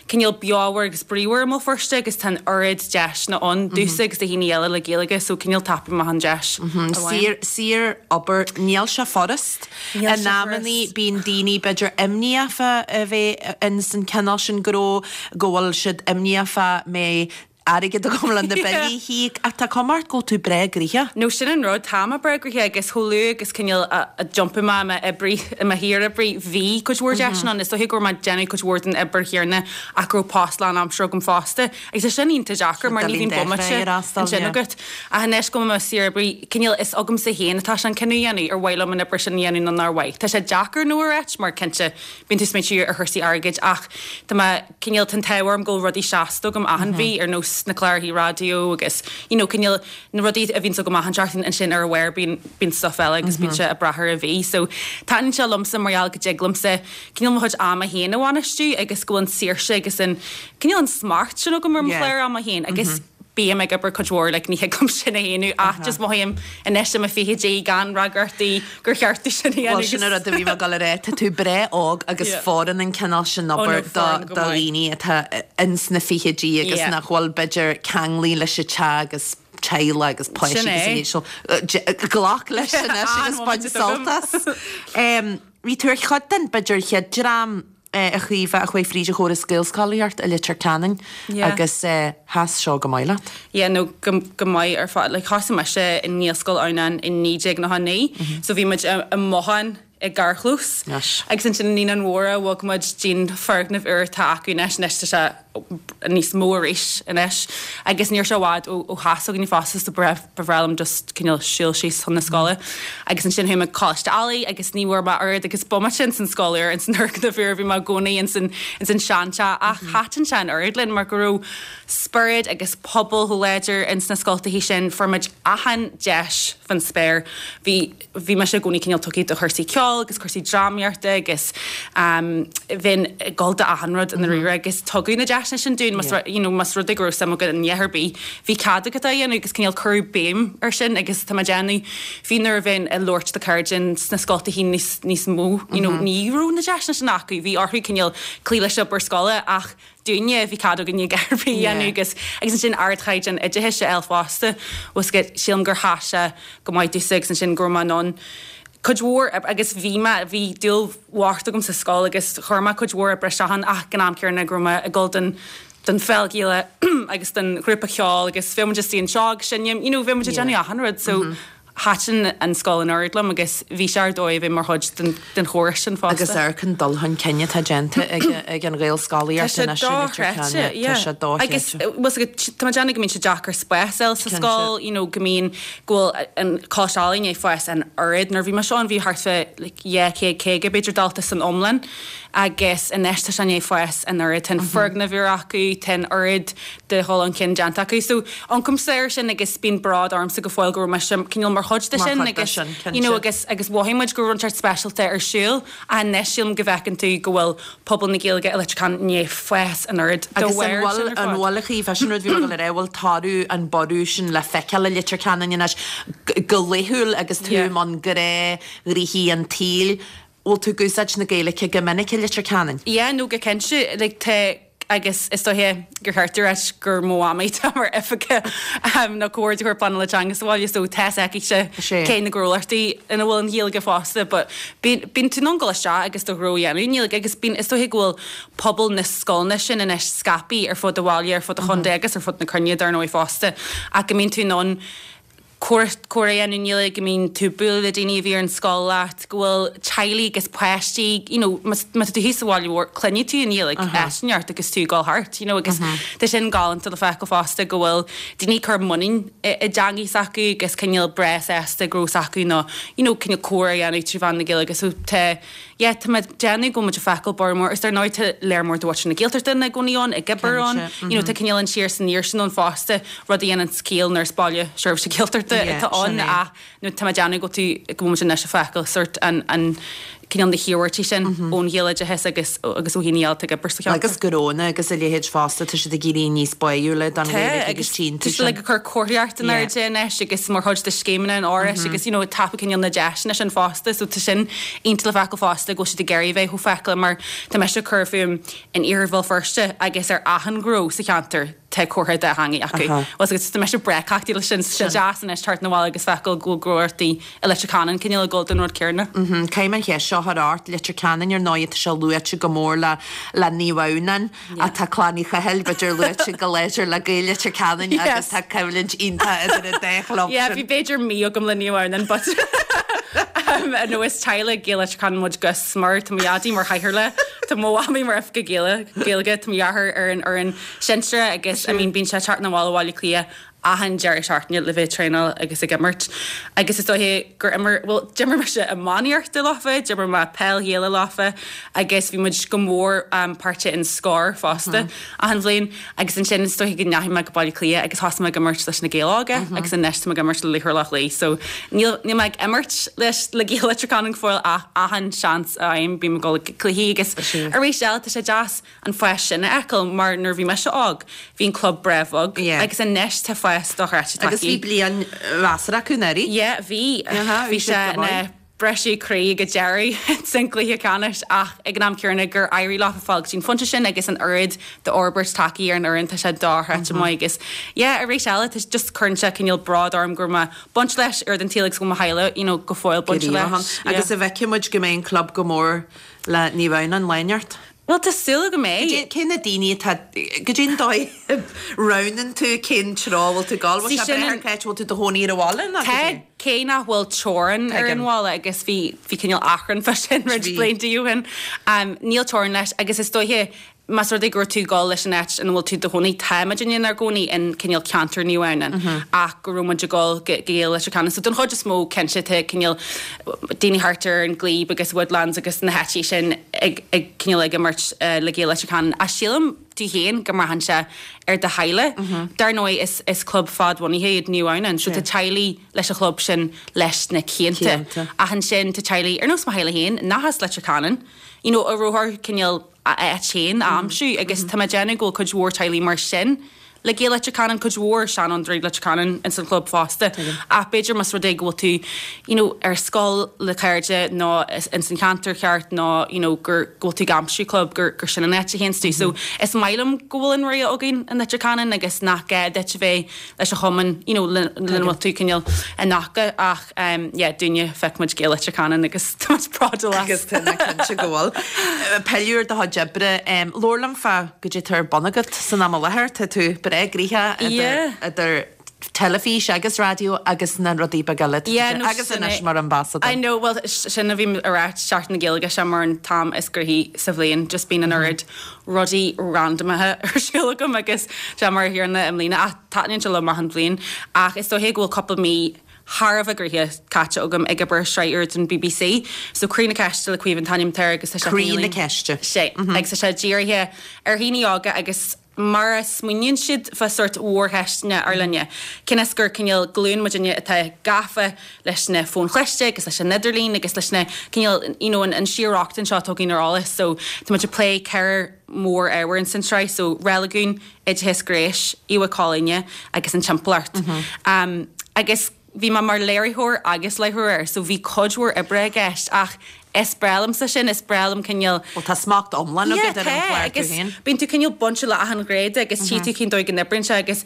cineál beomhar agus bríomhar i mBéal Feirste agus tá an oiread deiseanna ann domhsa agus do dhaoine eile le Gaeilge so cineál tapaím amach an deis. Saor saor obair níl sé furast. In amannaí bíonn daoine b'fhéidir imníoch fá a bheith in san cineál sin gnó go bhfuil siad imníoch fá mbeidh airgead agam le na billí a íoc ach tá cuma ort go bhfuil tú breá gnoitheach. No sin an rud tá mé breá gnoitheach agus chomh luath agus cineál a d'iompaigh mé i m'oibrí i mo shaoroibrí bhí cuid mhór deiseanna ann is dóiche go raibh mé ag déanamh cuid mhór den obair chéanna ach go raibh post lánaimseartha agam fosta agus é sin iontach deacair mar ní bhíonn bomaite ansin agat. Ach anois go bhfuil mé i mo saoroibrí cineál is agamsa féin atá sé an cinneadh a dhéanamh ar mhaith liom an obair sin a dhéanamh nó nár mhaith. Tá sé deacair no a ráit mar cinnte bíonn tú ag smaointiú ar chúrsaí airgid ach tá mé cineál tá an t-ádh orm go bhfuil rudaí seasta agam achan mhí ar nós na cláracha raidió agus you know cineál na rudaí a bhíonn agam achan seachtain ansin ar a bharr bíonn bíonn stuff eile agus bíonn sé ag brath ar an mhí. So taitníonn sé liomsa mar gheall go dtig liomsa cineál mo chuid ama féin a bhainistiú agus go bhfuil an saoirse agus an cineál an smacht sin agam ar mo chlár ama féin agus bím ag obair cuid mhór like ní thig liom sin a shéanadh ach just mothaím anois i mo fichidí gan fhreagrachtaí gur cheart sin a dhéanamh. Sin an rud a bhí mé ag dul a rá tá tú breá óg agus fóireann an cineál sin obair do dhaoine atá ins na fichidí agus nach bhfuil b'fhéidir ceanglaithe leis an teach agus teaghlach agus páistí agus so glac leis anois agus bain sult as. Bhí tú ar chuid den b'fhéidir chéad dream a Chaoimhe a chuaigh fríd an chóras Gaelscolaíocht i Leitir Ceanainn agus sheas seo go maith leat. Yeah, no go go maith ar fad like thosaigh mise i nGaelscoil Adhamhnáin i naoi déag nócha naoi so bhí muid i i mbothán i gcarrchlós agus ansin i Naíonáin Mhóra bhog muid dtí'n foirgneamh úr atá acu anois anois tá sé níos mó arís anois agus ní raibh sé i bhfad ó ó theach s'againne fosta so ba bhreá liom just cineál siúl síos chun na scoile agus ansin chuaigh mé Coláiste Ailigh agus ní bhfuair mé oiread agus bomaite ins an scoil úr ins an fhoirgneamh úr bhí mé i gcónaí ins an ins an seanteach ach thaitin sé an oiread linn mar go raibh spiorad agus pobal chomh láidir ins na scoltachaí sin fuair muid achan deis fan spéir bhí bhí mise i gcónaí cineál tugtha do chúrsaí ceoil agus cúrsaí drámaíochta agus um, bhínn ag dul do achan rud i ndáiríre agus tugadh na deiseanna sin dúinn más you know, más rud é go raibh suim agat in ar bith bhí cead agat é a dhéanamh agus cineál cuireadh béim ar sin agus tá mé ag déanamh fiú nuair a bhínn ag labhairt le cairde sna scoltachaí níos níos mó you know, ní raibh na deiseanna sin acu bhí orthu cineál cloí leis obair scoile ach dúinne bhí cead againne a rogha a dhéanamh agus agus ansin ardchaighdeán oideachais a fháil fosta was go sílim gur sheas sé go maith domhsa agus ansin go raibh mé in ann cuid mhór agus bhí mé bhí dúil mhór agam sa scoil agus chuir mé cuid mhór oibre isteach ann ach ag an am céanna go raibh mé ag dul don don pheil Ghaelach agus don ghrúpa ceoil agus bhí muid istigh anseo agus sin you know bhí muid ag déanamh achan rud so Thaitin an scoil an oiread liom agus bhí sé ar dóigh a bheith mar chuid den den chóras sin fosta. Agus amharc an dul chun cinn atá déanta ag ag an Ghaelscolaíocht Tá sé anois i Leitir dochreidte, Ceanainn. Tá yeah. sé dochreidte. Agus bhfuil 's agat, tá mé ag déanamh go mbíonn sé deacair spás a fháil sa Cinnte. scoil, you know, go mbíonn, go bhfuil an Coláiste Ealaíon ag fás an oiread. Nuair a bhí mise ann bhí thart fá like dhá chéad caoga b'fhéidir dalta san iomlán agus anois tá sé i ndiaidh fás an oiread. Tá an foirgneamh úr acu, tá an oiread de dhul chun cinn déanta acu. So amharcaimse air sin agus bíonn bród ormsa go fóill go raibh mise cineál mar chuid de Mar sin chuid de agus sin, you know, cinnte. agus agus mhothaigh muid go raibh rud inteacht speisialta ar siúl anois sílim go bhfeiceann tú go bhfuil pobal na Gaeilge i Leitir Ceanainn i ndiaidh fás an oiread de Agus an bharr bhfuil sin ar an fad. bhfuil a Chaoimhe, sin rud bhí mé ag dul a rá, bhfuil toradh an borradh sin le feiceáil i Leitir Ceanainn anois go laethúil agus tú Yeah. i mbun gnáthghnoithí an tsaoil, bhfuil tú ag úsáid na Gaeilge go minic i Leitir Ceanainn? Yeah, no go cinnte, like tá agus is dóiche gur cheart a ráit gur mo mhamaí atá mar oifigeach nó comhordaitheoir pleanála teanga sa bhaile so tá 's aici Sé. cé na gnólachtaí ina bhfuil an Ghaeilge fosta but bíonn bíonn tú in ann dul isteach agus do ghnó a dhéanamh i nGaeilge agus bíonn is dóiche go bhfuil pobal na scoileanna sin anois scaipthe ar fud an bhaile ar fud an chontae agus ar fud na cruinne dar ndóigh fosta ach go mbíonn tú in ann comhrá a dhéanamh i nGaeilge, go mbíonn tú ag bualadh le daoine a bhí ar an scoil leat, go bhfuil teaghlaigh agus páistí, you know, má má tá tú thíos sa bhaile mhór, cluinfidh tú an Ghaeilge áit inteacht agus tú ag dul thart, you know, agus tá sin galánta le feiceáil fosta go bhfuil daoine ag cur muinín i i dteangaidh s'acu agus cineál breá sásta go raibh s'acu nó, you know, cineál comhrá a dhéanamh trí mheán na Gaeilge. So tá, yeah, tá mé ag déanamh go bhfuil muid ag feiceáil borradh mór, is dar ndóigh tá léar mór de mhuintir na Gaeltachta ina gcónaí ann, ag obair ann, Cinnte, you know, tá cineál an siar san iar sin ann fosta, rud a dhéanann ciall nuair is baile seirbhíse Gaeltachta Yeah, atá ann sin é. ach nó tá mé ag déanamh go tú go bhfuil muid anois ag feiceáil sort an an cineál na hiarmhairtí sin ón Ghaeloideachas agus agus ó dhaoine eile atá ag obair sa cheantar. Agus gnónna agus a leithéid fosta, tá siad ag éirí níos báúla don Tá, Ghaeilge agus agus tchíonn tá tú siad sin. like ag cur comharthaíocht in Yeah. airde anois agus mar chuid de scéimeanna an Fhorais agus you know tapú cineál na deiseanna sin fosta so tá sin iontach le feiceáil fosta go bhfuil siad ag iarraidh bheith chomh feiceálach mar tá mise ag cur fúm in iarthar Bhéal Feirste agus ar achan ghnó sa cheantar tá comhartha dátheangach acu. Aha. Well, agus tá mise breá cleachtaithe leis sin sé deas anois teacht 'na bhaile agus feiceáil go bhfuil gnólachtaí i Leitir Ceanainn cineál ag dul don rud céanna. Mhm, Caithfidh mé an cheist seo a chur ort, Leitir Ceanainn ar ndóigh tá sé luaite go mór le le Naomh Adhamhnáin atá Clann Uí Chathail b'fhéidir luaite go láidir le Gaeil Leitir Ceanainn Yes. agus tá coimhlint iontach idir an dá chlub Yeah, sin. bhí b'fhéidir mí agam le Naomh Adhamhnáin, but um, no is teaghlach Gaeil Leitir Ceanainn muid go smior tá mo dhaidí mar chathaoirleach tá mo mhamaí mar oifigeach Gaeilge Gaeilge tá mo dheartháir ar an fhoireann sinsearach agus I mean bíonn sé teacht 'na bhaile Bhaile Átha Cliath achan deireadh seachtaine le bheith ag traenáil agus ag imirt. Agus is dóiche gur imir well d'imir mise iománaíocht leofa, d'imir mé peil Ghaelach leofa agus bhí muid go mór um, páirteach in Scór fosta achan bhliain agus ansin is dóiche go ndeachaigh mé go Baile Átha Cliath agus thosaigh mé ag imirt leis na Gaeil Óga agus anois tá mé ag imirt le Laochra Loch Lao. So níl níl mé ag imirt leis le Gaeil Leitir Ceanainn go fóill ach achan seans a fhaighim bím ag dul ag cluichí agus arís eile tá sé deas an fás sin a fheiceáil mar nuair bhí mise óg bhí an club breá bheag Yeah. agus anois tá fás dochreidte Agus bhí bliain mheasartha acu anuraidh. Yeah, bhí Aha, bhí bhí sé siad go na maith. briseadh croí go deireadh san gcluiche ceannais ach ag an am céanna gur éirigh leo fáil go dtí an pointe sin agus an oiread d'fhorbairt tagtha ar an fhoireann tá sé dochreidte maith agus yeah, arís eile tá just cuireann sé cineál bród orm gur ma baint leis ar den tíle go mo theaghlach you know, go fóill baint leis. Agus an bhfeicfidh muid go mbeidh an club go mór le Naomh Adhamhnáin lá inteacht. Well tá súil go mbeidh. Cé na daoine atá go dtí dóigh roghnaíonn tú cén treo bhfuil tú gal Sí, sin an- sé bhfuil tú i do chónaí ar an bhaile ná Tá cé nach bhfuil teorainn ar an Tuigim. bhaile agus bhí bhí cineál achrann fá sin roinnt Bhí. blianta ó shin. Um, níl teorainn leis agus is dóiche más rud é gur tú ag dul leis an áit ina bhfuil tú i do chónaí táimid inár gcónaí in cineál ceantar Naomh Adhamhnáin ach go raibh muid ag dul go Gaeil Leitir Ceanainn. So don chuid is mó cinnte tá cineál daoine thart ar an Glebe agus Woodlands agus na háiteanna sin ag, ag cineál ag imirt uh, le Gaeil Leitir Ceanainn. A sílim tú féin go mbraitheann sé ar do theaghlach. Dar ndóigh is, is club fadbhunaithe iad Naomh Adhamhnáin, so tá teaghlaigh leis an chlub sin leis na cianta. Cianta. Ach ansin tá teaghlaigh ar nós mo theaghlach féin nach as Leitir Ceanainn, you know, a raibh orthu cineál a áit féin a aimsiú agus tá mé ag déanamh go bhfuil cuid mhór teaghlaigh mar sin. Le Gaeil Leitir Ceanainn cuid mhór seanfhondúirí Leitir Ceanainn in san club fosta. Ach b'fhéidir más rud é go bhfuil tú you know, ar scoil le cairde nó in san cheantar ceart nó you know, gur go bhfuil tú ag aimsiú club gur, gur sin an áit a théann tú. So is maith liom go bhfuil an rogha againn in Leitir Ceanainn agus nach gá duit a bheith leis an chumann you know, le lena bhfuil tú cineál in aice ach um, yeah, dúinne feicfidh muid Gaeil Leitir Ceanainn agus tá muid bródúil as. Agus tá na cinnte go bhfuil. Pilleadh ar do chuid oibre labhair liom fá goidé atá ar bun agat san am i láthair tá tú breá gnoitheach Yeah. idir teilifís agus raidió agus na rudaí beaga eile. Yeah, no, agus sin anois é. mar ambasadóir. I know, well, sin a bhí ar ait Seachtain na Gaeilge sé mar an t-am is gnoithí sa bhliain, just bíonn an oiread rudaí randamaithe ar siúl agam agus sé mar a thiarna i mbliana ach taitníonn sé liom achan bhliain ach is dóiche go bhfuil cúpla mí thar a bheith gnoitheach caite agam ag obair sraith úr don BBC. So Croí na Ceiste le Caoimhe an t-ainm atá air agus tá sé Croí na Ceiste. Sé agus tá sé dírithe ar dhaoine óga agus mar a smaoiníonn siad fá sórt mhórcheisteanna ár linne. Cionn is gur cineál glúin muidinne atá gafa leis na fóin chliste agus leis an idirlíon agus leis na cineál you know, an, an síor-rochtain seo atá againn ar eolas. So tá muid ag plé ceithre mór-ábhar in san tsraith, so reiligiún, oideachas gnéis, íomhá collaí agus an timpeallacht. Mm -hmm. um, agus bhí mé mar léiritheoir agus láithreoir air, so bhí cuid mhór oibre i gceist ach is breá liomsa sin, is breá liom cineál Well tá smacht iomlán agat ar an chlár tú agus féin. bíonn tú cineál bainte le achan ghné de agus tchí tú cén dóigh go n-oibríonn sé agus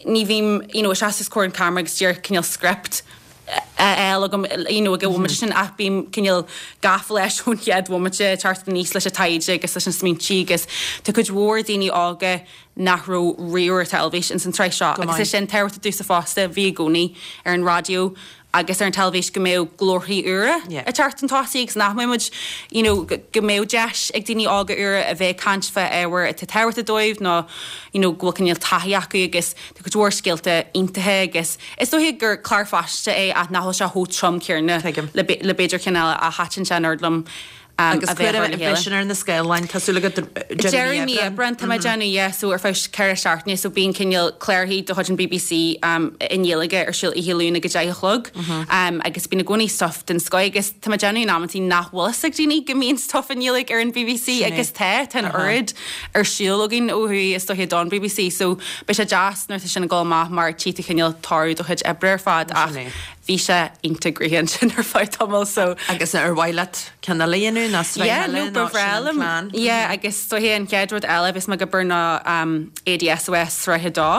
ní bhím you know, seasamh os comhair an camera agus díreach cineál script a fháil agam you know, ag an bhomaite sin ach bím cineál gafa leis ón chéad bhomaite teacht aníos leis an taighde agus leis an smaointe agus tá cuid mhór daoine óga nach raibh riamh ar teilifís in san tsraith seo Go agus maith. é sin tábhachtach domhsa fosta bhí i gcónaí ar an raidió agus ar an teilifís go mbeadh glórthaí úra Yeah. ag teacht chun tosaigh agus nach mbeadh muid you know, go go mbeadh deis ag daoine óga úra a bheith ag caint fá ábhar atá tábhachtach dóibh nó you know, go bhfuil cineál taithí acu agus tá cuid mhór scéalta iontacha agus is dóiche gur clár faisnéise é ach nach bhfuil sé chomh trom céanna Tuigim. le be- le b'fhéidir cinn eile a thaitin sé an oiread liom um, Agus a bheith cuir ar le chéile. sin ar na scáileáin tá súil agat Deireadh mí Aibreáin tá mé déanamh yeah, so ar feadh ceithre seachtaine so bíonn cineál clárthaí de chuid an BBC um, i nGaeilge ar siúl oíche Luain ag a deich a chlog um, agus bíonn i gcónaí stuff den scoth agus tá mé déanamh in amantaí nach bhfuil fhios ag daoine go mbíonn stuff i nGaeilge ar an BBC Sin é. agus tá tá an oiread ar siúl againn ó thuaidh is dóiche don BBC so beidh sé deas nuair atá sin ag dul amach mar tí tú cineál toradh do chuid oibre ar fad ach Sin é. bhí sé iontach gnoitheach ansin ar feadh tamaill so Agus ar mhaith leat ceann eile a dhéanamh nó sraith Yeah, eile no ba nó sin bhreá an liom. plean? Yeah, agus so hé an chéad rud eile bhí mé ag obair ná um, ADSOS sraith a dó.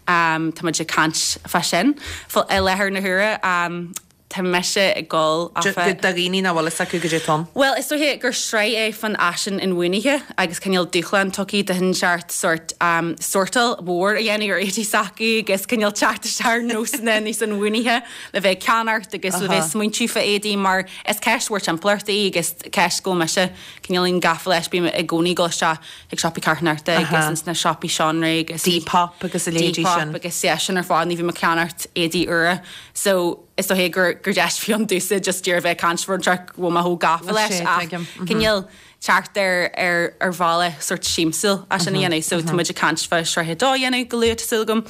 Um, tá muid ag caint fá sin. Fá i láthair na huaire um, tá mise ag gol Do dhaoine nach bhfuil fhios acu goidé atá ann. Well, is dóiche gur sraith é fan fhaisean inbhuanaithe agus cineál dúshlán tugtha do shinseart sort um, sortáil mhór a dhéanamh ar éadaí s'acu agus cineál teacht isteach nósanna níos inbhuanaithe le bheith ceannacht agus le bheith smaointiú fá éadaí mar is ceist mhór timpeallachta í agus ceist go mise cineál gafa leis bím i gcónaí go isteach ag siopaí carthanachta agus ins na siopaí seanré agus Depop agus a leithéidí Depop sin. agus yeah, sin ar fad ní bhím ag ceannacht éadaí úra so is dóiche gur gur deis fi an dúsa just dúr bheith caint an track bhfuil mé chomh gafa Well, leis sé, ach tuigim. Mhm. cineál teacht ar ar ar bhealach sort siamsúil as sin a dhéanamh so tá muid ag caint fá sraith a dó a dhéanamh go luath súil agam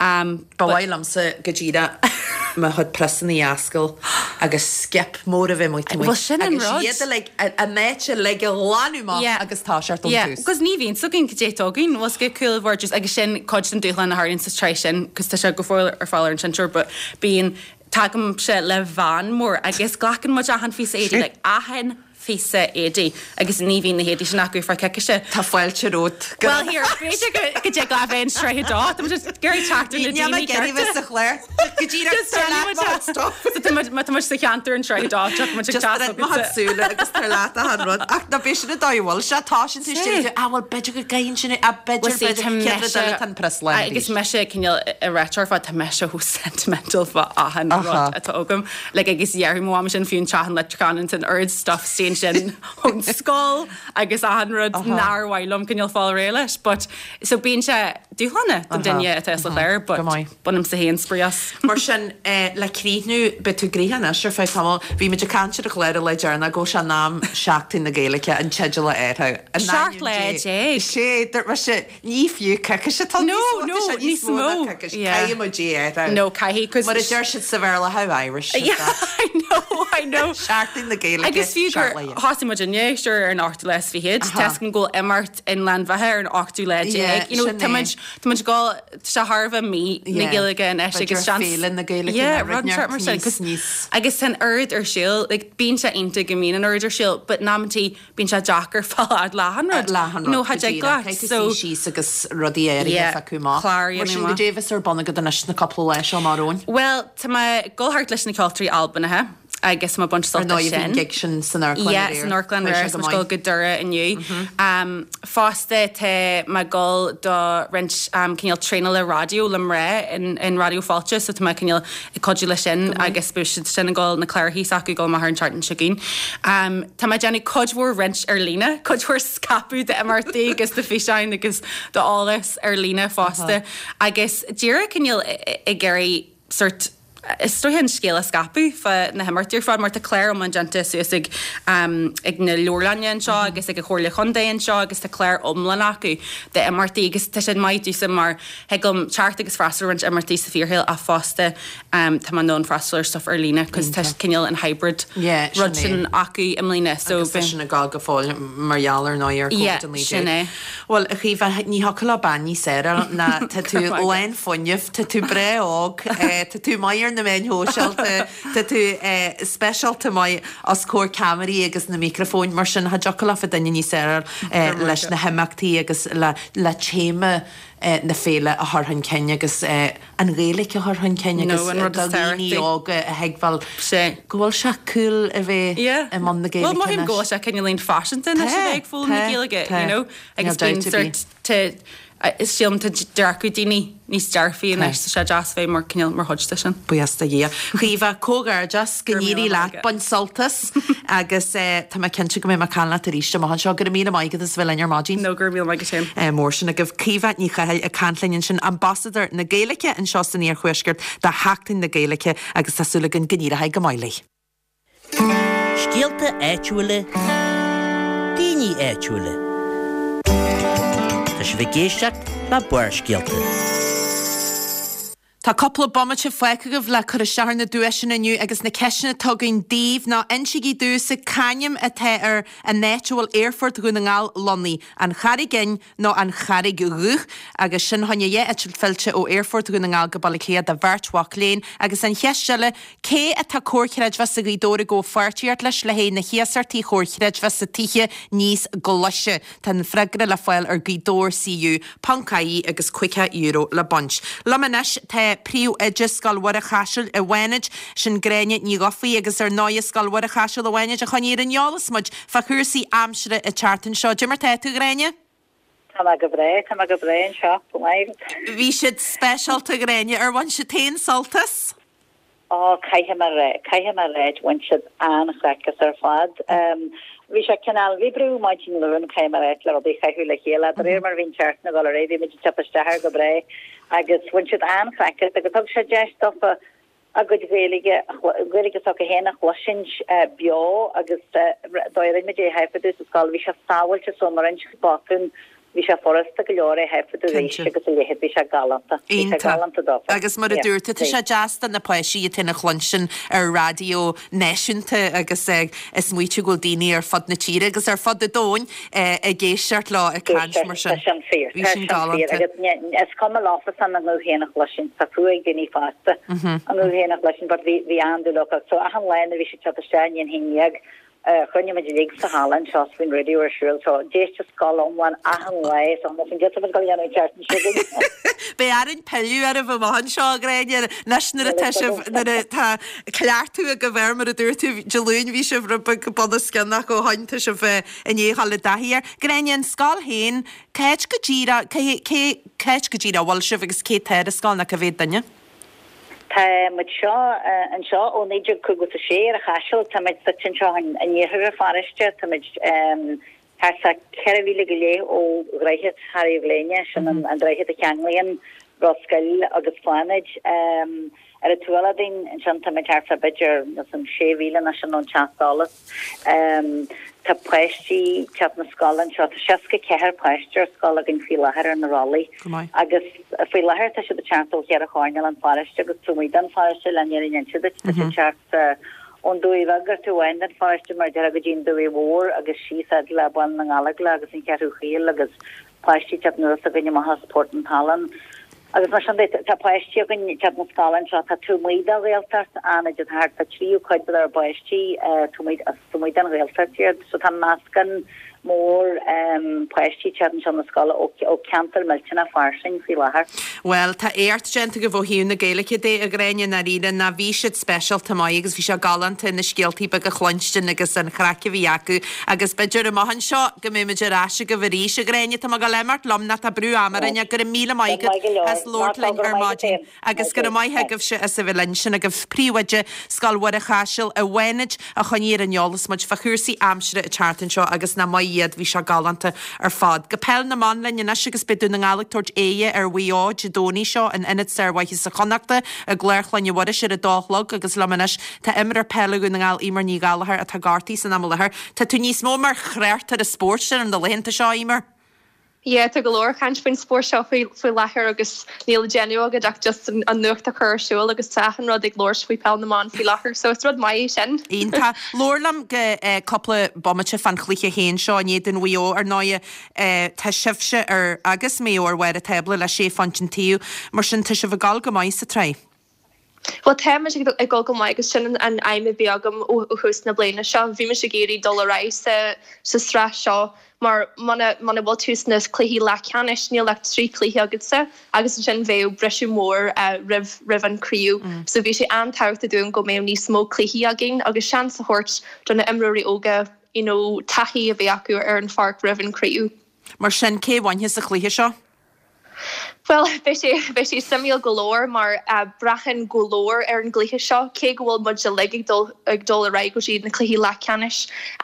um, Ba mhaith liomsa go díreach mo chuid priosanna a oscailt agus skip mór a bheith muid Well, sin an rud. iad like, a a méite le go lánú Yeah. agus tá sé Yeah, tús. Cos ní bhíonn againn goidé atá againn was go cool bhar just agus sin cuid den dúshlán a tharlaíonn sa tsraith sin cos tá sé go fóill ar fáil ar an seinnteoir but bíonn tagaim sé le van mór agus glacann muid achan phíosa éadaí like achan phíosa éadaí agus ní bhíonn na héadaí sin acu fá coicíse. Tá fáilte romhat. Well here b'fhéidir go go dtig leat bheith sraith a dó Tá muid just ag teacht ar na Ní daoine gceirmh cearta. sa chlár. Go díreach Just déanfaidh muid é. So tá muid- má tá muid sa cheantar an sraith a dó teach muid ag Just teas má súla agus tar leat a han rud ach na bé sin dóhfuil se tá sin tú Sí. sin a bhfuil b'fhéidir go gcaithfinn sin a b'fhéidir b'fhéidir an press agus mise cineál i réitear fá tá mise chomh sentimental fá achan Aha. rud atá agam le agus dhearthaí mo sin fiú tean le can an oiread stuff sin sin ón scoil agus achan rud nár mhaith liom cineál fáil réidh leis but so bíonn sé dúshlánach don duine atá sa chlár but Go maith. bainim sa féin spraoi as. Mar sin eh, le críochnú beidh tú gnoitheach anois ar feadh tamaill bhí muid ag caint ar an chlár le deireanach go sé nám Seachtain na Gaeilge an teideal air. Seacht lá déag. Sé sé ní fiú coicís atá No, no, níos mó. Yeah. Caithfidh muid é No caithfidh cos Mar a deir siad sa Bhéarla how Irish. is Yeah, that? I know, I know. Seachtain na Gaeilge. Agus fiú gur seacht lá déag. thosaigh muid inné sure ar an ochtú lá is fiche, Tá go imeacht in Leanbhaithe ar an ochtú lá Yeah, déag. You know, sin tá é. muid tá muid go sé tharbh mí na Yeah. Gaeilge anois B'fhéidir agus seans- Féile na Gaeilge Yeah, na rud rud sort mar sin, níos- 'cause- níos- Agus san oiread ar siúl, like, bíonn sé iontach go mbíonn an oiread ar siúl, but in amantaí bíonn sé deacair fáil leathan rud. Leathan No, cha dtig leat. So So síos agus rudaí air Yeah, acu má. clár Mar sin dhéanamh goidé a bheas ar bun agat anois na cúpla lá seo mar óin. Well, tá mé ag dul thart leis na ceoltóirí Albanacha Agus má baint sult as sin. Gig sin san Amharclann Yeah, san Amharclann aréir is muid ag dul go Doire inniu. Fosta tá mé ag dul do roinnt cineál traenála raidió le mná in in Raidió Fáilte so tá mé cineál ag cuidiú leis sin agus beidh siad sin ag dul na clárachaí s'acu ag dul amach ar an tseachtain seo chugainn. Tá mé ag déanamh cuid mhór roinnt ar líne, cuid mhór scaipeadh d'imeachtaí agus de físeáin agus d'eolas ar líne fosta agus díreach cineál ag iarraidh sort Is dóiche an scéal a scaipeadh fá na himeachtaí ar fad mar tá clár iomlán déanta suas ag ag na leabharlainne anseo agus ag an Chomhairle Chontae anseo agus tá clár iomlán acu d'imeachtaí agus tá siad maith domhsa mar thig liom teacht agus freastal ar roinnt imeachtaí sa fíorshaol ach fosta tá mé in ann freastal ar stuff ar líne cos tá cineál an hybrid rud sin acu i mbliana so Agus tá sin ag gabháil go fóill mar gheall ar ndóigh ar Yeah, Covid a naoi sin déag. é. Bhuel, a Chaoimhe, ní thiocfadh le bean níos fearr a fháil ná tá tú lán fuinnimh, tá tú breá óg, tá tú maith ar na meáin shóisialta, tá tú speisialta maith os comhair ceamaraí agus na micreafóin, mar sin cha dtiocfadh leofa duine níos fearr a fháil leis na himeachtaí agus le le téama na féile a chur chun cinn agus an Ghaeilge a chur chun cinn agus do dhaoine óga a thuigbheáil go bhfuil sé cool a bheith i mbun na Gaeilge Bhuel, mothaím go bhfuil sé cineáilín faiseanta anois a bheith ag foghlaim na Gaeilge, you know, agus bíonn sort is sílim tá dearcadh daoine níos dearfaí anois, tá sé deas bheith mar cineál mar chuid de sin. Buíochas do Dhia. Caoimhe, comhghairdeas, go n-éirí leat, bain sult as agus tá mé cinnte go mbeidh mé ag caint leat arís amach anseo. Go raibh míle maith agat as a bheith linn ar maidin. No, go raibh míle maith agat féin. Mór sin agaibh. Caoimhe Ní Chathail ag caint linn ansin, Ambasadóir na Gaeilge anseo san Iarthuaisceart do Sheachtain na Gaeilge agus tá súil againn go n-éireoidh go maith léi. Scéalta áitiúla, daoine áitiúla. Tá sibh ag éisteacht le Barrscéalta. Tá cúpla bomaite fágtha agaibh le cur isteach ar na duaiseanna inniu agus na ceisteanna atá againn daoibh ná insígí domhsa c'ainm atá ar an áit a bhfuil Aerfort Dhún na nGall lonnaithe, An Charraig Fhinn nó An Charraig Dhubh? Agus sin fá choinne dhá eitilt fillte ó Aerfort Dhún na nGall go Baile Átha Cliath do bheirt mhac léinn. Agus an cheist eile, cé atá Comhar Creidmheasa Ghaoth Dobhair ag gabháil pháirtíocht leis le haghaidh na hiasachtaí Chomhar Chreidmheasa Tithe níos glaise? Tá an freagra le fáil ar Gaoth Dobhair CU ponc IE agus caoga euro le baint. Liom anois tá Príomhoide Scoil Mhuire Chaisil i bhFánaid, sin Gráinne Ní Dhufaigh agus ar ndóighe Scoil Mhuire Chaisil i bhFánaid a choinnigh ar an eolas muid fá chúrsaí aimsire an tseachtain seo. Cad é mar tá tú, a Ghráinne? Tá mé go breá, tá mé go breá anseo, go maith. Bhí siad speisialta, a Ghráinne. Ar bhain siad féin sult as? Ó, caithfidh mé a rá, caithfidh mé a rá, bhain siad an-chraic as ar fad. Bhí sé cineál, bhí brú maidin Luain, caithfidh mé a rá, le rudaí a chaitheamh le chéile. De réir mar a bhí an tseachtain ag dul ar aghaidh, bhí muid ag teacht isteach air go breá agus bhain siad an-chraic as agus thug sé deis dófa a gcuid Gaeilge, Gaeilge s'acu féin a chloisint beo agus dóigh a rinne muid é a thaifeadadh sa scoil, bhí sé sábháilte so mar roinnt botún Bhí sé furasta go leor é a thaifeadadh arís agus a leithéid, bhí sé galánta. Bhí sé galánta dófa. Agus mar a dúirt tú, tá sé deas do na páistí iad féin a chluinstin ar raidió náisiúnta agus ag smaoitiú go bhfuil daoine ar fud na tíre agus ar fud an domhain ag éisteacht leo ag caint mar sin. Tá sin fíor. Bhí sin galánta. Agus is cuma leofasan a nguth féin a chloisint, tá fuath ag daoine fásta a nguth féin a chloisint but bhí an-dúil acu. So achan lá nuair a bhí siad ag teacht isteach i ndiaidh a haon déag, Chruinnigh muid uilig sa halla anseo is bhí an raidió ar siúl so d'éist an scoil iomlán achan lá so tá muid ag dul a dhéanamh an tseachtain seo chugainn. Beidh orainn pilleadh oraibh amach anseo, a Ghráinne, anois nuair atá sibh, nuair atá cleachtadh agaibh air, mar a dúirt tú, Dé Luain bhí sibh rud beag bunoscionn ach ó shoin tá sibh i ndiaidh dhul i dtaithí air. Gráinne, an scoil féin, cá háit go díreach, cé, cé, cá háit go díreach a bhfuil sibh agus cé tá ar an scoil nó cá mhéad duine? Tá muid seo anseo ó naoi déag caoga is a sé ar an Chaiseal. Tá muid suite anseo in iarthar an pharóiste. Tá muid thart fá ceithre mhíle go leith ó Dhroichead Charraig an Ghléine, sin an droichead a cheanglaíonn Ros Goill agus Fánaid. Ar an taobh eile dínn ansin tá muid thart fá b'fhéidir sé mhíle nó sin ón teach solais. Tá páistí ag teacht na scoile anseo, tá seasca ceathair páiste ar scoil againn faoi láthair ar na rollaí agus faoi láthair tá siad ag teacht ó cheithre choirnéal an pharóiste agus taobh amuigh den pharóiste le an fhírinne a inse duit, tá siad ag teacht ón Dumhaigh Bheag ar taobh amháin den pharóiste mar a déarfá go dtí an Dumhaigh Mhór agus síos fhad le Baile na nGallóglach agus an Cheathrú Chaol agus páistí ag teacht anuas againn amach as Port an Tallann. Agus mar sin de, tá páistí againn ag teacht na scoile anseo atá taobh amuigh de Ghaeltacht, an-fhad, tá thart fá tríú cuid dár bpáistí taobh amuigh, as taobh amuigh den Ghaeltacht iad. So tá meascán mór páistí teacht anseo na scoile ó ceantar millteanach fairsing faoi láthair. Bhuel, tá éacht déanta agaibh ó thaobh na Gaeilge de, a Ghráinne, i ndáiríre, ná bhí siad speisialta maith agus bhí sé galánta na scéaltaí beaga a chluinstin agus an chraic a bhí acu agus b'fhéidir amach anseo go mbeidh muid ar ais agaibh arís, a Ghráinne, tá mé ag dul imeacht liom nó tá brú ama orainn ach go raibh míle maith agat as labhairt linn ar maidin agus go raibh maith agaibhse as a bheith linn. Sin agaibh Príomhoide Scoil Mhuire Chaisil i bhFánaid a choinnigh ar an eolas muid fá chúrsaí aimsire an tseachtain seo agus nach maith iad, bhí sé galánta ar fad. Go peil na mban linn anois agus beidh Dún na nGall ag tabhairt aghaidh ar Mhaigh Eo Dé Domhnaigh seo in Ionad Sármhaitheasa Chonnachta i gClár Chlainne Mhuiris ar a dó a chlog agus liom anois tá imreoir peile Dhún na nGall Eimear Ní Ghallchóir atá gortaithe san am i láthair. Tá tú níos mó mar thráchtaire spóirt ar na laethanta seo, Eimear? Yeah, tá go leor caint faoin spórt seo faoi faoi láthair agus níl le déanamh agat ach just an, an nuacht a chur ar siúl agus tá achan rud ag labhairt faoi peil na mban faoi láthair, so is rud maith é sin. Iontach. Labhair liom go eh, cúpla bomaite fán chluiche féin seo in éadan Mhaigh Eo ar ndóigh eh, tá sibhse ar agus Maigh Eo ar bharr an tábla le sé phointe an taobh, mar sin tá sibh ag dul go maith sa tsraith. Well táimid ag dul go maith agus sin an aidhm a bhí agam ó thús na bliana seo. Bhí mise ag iarraidh dul ar aghaidh sa sa sraith seo mar muna muna bhfuil tú sna cluichí leathcheannais níl ach trí chluiche agatsa agus ansin bheadh briseadh mór uh, roimh roimh an craobh. Mm. So bhí sé an-tábhachtach dúinn go mbeadh níos mó cluichí againn agus seans a thabhairt do na imreoirí óga you know, taithí a bheith acu ar an pháirc roimh an craobh. Mar sin cé bhuafaidh sa chluiche seo? Well beidh sé beidh sé suimiúil go leor mar uh, braitheann go leor ar an gcluiche seo cé go bhfuil muid uilig ag dul ag dul ar aghaidh go dtí na cluichí leathcheannais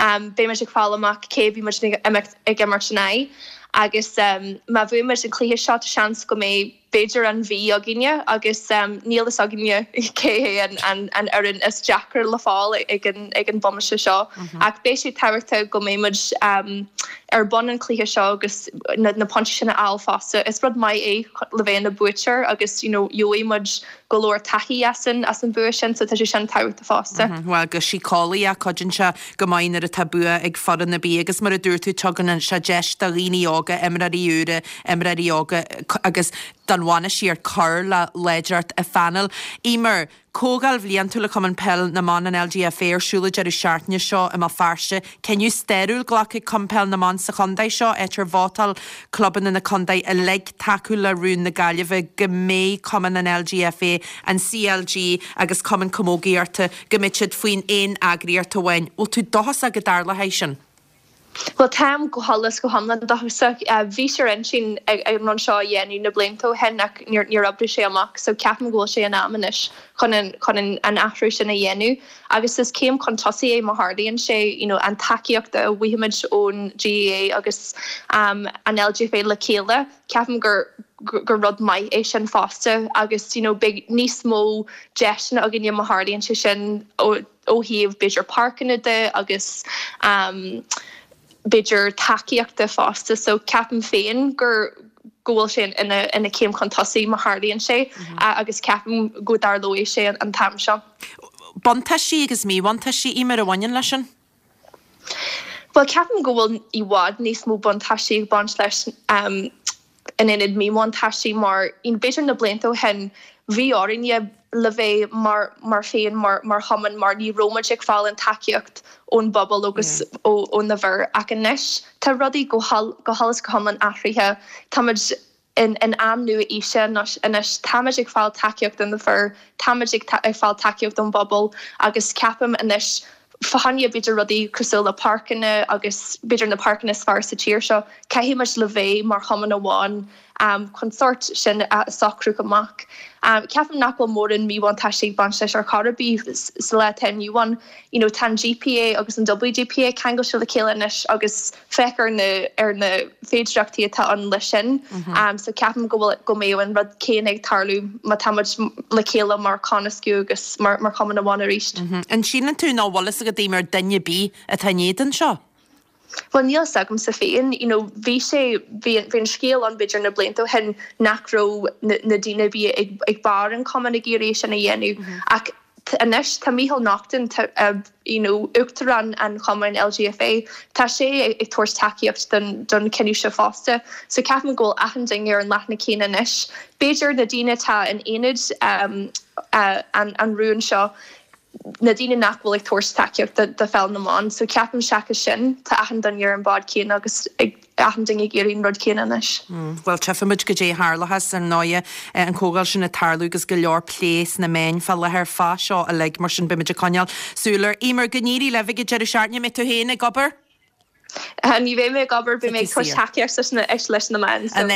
um, beidh muid ag fáil amach cé bhí muid ag ag imirt in aghaidh agus um, má bhuaimid an cluiche seo seans go mbeidh b'fhéidir an Mhí againne agus um, níl fhios againne cé hé an, an, an fhoireann is deacra le fáil ag an, ag an bomaite seo mm -hmm. ach beidh sé tábhachtach go mbeimid um, ar bun an cluiche seo agus na, na pointí sin a fháil fosta. Is rud maith é le bheith ina buaiteoir agus you know, gheobhaidh go leor taithí as an as an bua sin so tá sé sin tábhachtach fosta. Mm -hmm. Well go síceolaíoch cuidíonn sé go maith nuair atá bua ag foireann ar bith agus mar a dúirt tú tugann sé deis do dhaoine óga imreoirí úra imreoirí óga agus don bhainistíocht cur le láidreacht a phainéil. Eimear, Comhdháil bhliantúil le Cumann Peil na mBan an LGFA ar siúl an deireadh seachtaine seo i mBéal Feirste, cinneadh stairiúil glactha ag Cumann Peil na mBan sa chontae seo áit ar vótáil clubanna na contae uilig tacú le rún na Gaillimhe go mbeidh Cumann an LGFA, an CLG agus Cumann Camógaíochta go mbeidh siad faoin aon eagraíocht amháin. Bhfuil tú dóchasach go dtarlóidh sin? Well táim go huile go hiomlán dóchasach bhí sé ar intinn ag an rud seo a dhéanamh na blianta ó shin ach níor níor oibrigh sé amach so ceapaim go bhfuil sé in am anois chun an chun an, an athrú sin a dhéanamh agus is céim chun tosaigh é má tharlaíonn sé you know, an tacaíocht a bhfaighimid ón GAA agus um, an LGFA le chéile ceapaim gur gur rud maith é sin fosta agus you know, beidh níos mó deiseanna againne má tharlaíonn sé sin ó ó thaobh b'fhéidir páirceanna de agus um, b'fhéidir tacaíochta fosta so ceapaim féin gur go bhfuil sé ina ina céim chun tosaigh má tharlaíonn sé mm -hmm. uh, agus ceapaim go dtarlóidh sé an, an t-am seo. Buntáistí agus míbhuntáistí Eimear a bhaineann leis sin? Well ceapaim go bhfuil i bhfad níos mó buntáistí ag baint leis um, in ionad míbhuntáistí mar in b'fhéidir na blianta ó shin bhí orainne le bheith mar mar féin mar mar chumann mar ní raibh muid ag fáil an tacaíocht ón bpobal agus yeah. ó ó na fir ach anois tá rudaí go go huile go hiomlán athraithe Táimid in in am nua aoise anois táimid ag fáil tacaíocht ó na fir táimid ag ag fáil tacaíocht ón bpobal agus ceapaim anois fá choinne b'fhéidir rudaí cosúil le páirceanna agus b'fhéidir na páirceanna is fearr sa tír seo caithfimid le bheith mar chumann amháin um, chun sort sin a socrú amach. Um, Ceapaim nach bhfuil mórán míbhuntáistí ag baint leis ar chor ar bith sa lá atá inniu ann. You know, tá GPA agus an WGPA ceangailte le chéile anois agus féach ar na ar na féidearthachtaí atá ann leis sin. Mm -hmm. um, so ceapaim go bhfuil go mbeidh an rud céanna ag tarlú má táimid le chéile mar chónascadh agus mar mar chumann amháin arís. Mm -hmm. An síleann tú nach bhfuil fhios ag daoine ar duine bí atá in éadan seo? Well níl fhios agamsa féin you know, bhí sé bhí an scéal ann b'fhéidir na blianta ó shin nach raibh na, na daoine bí ag, ag barr an cumann ag iarraidh sin a dhéanamh mm -hmm. ach anois tá Micheál Naughton uh, you know, uachtarán an chumainn LGFA tá sé ag, ag tabhairt tacaíocht don, don cinneadh seo fosta so ceapaim go bhfuil achan duine ar an leathanach céanna anois B'fhéidir na daoine atá in éadan um, uh, an, an rún seo na daoine nach bhfuil ag tabhairt tacaíocht do pheil na mban, so ceapaim seachas sin tá achan duine ar an bád céanna agus ag achan duine ag iarraidh an rud céanna anois. Bhuel, tchífimid goidé a tharlóchas ar ndóighe an chomhdháil sin ag tarlú agus go leor plé sna meáin fá láthair fá seo uilig, mar sin beimid ag coinneáil súil air. Eimear, go n-éirí libh ag an deireadh seachtaine, mbeidh tú féin ag obair? Ní bheidh mé ag obair, beidh mé ag tabhairt tacaíocht leis leis na meáin. An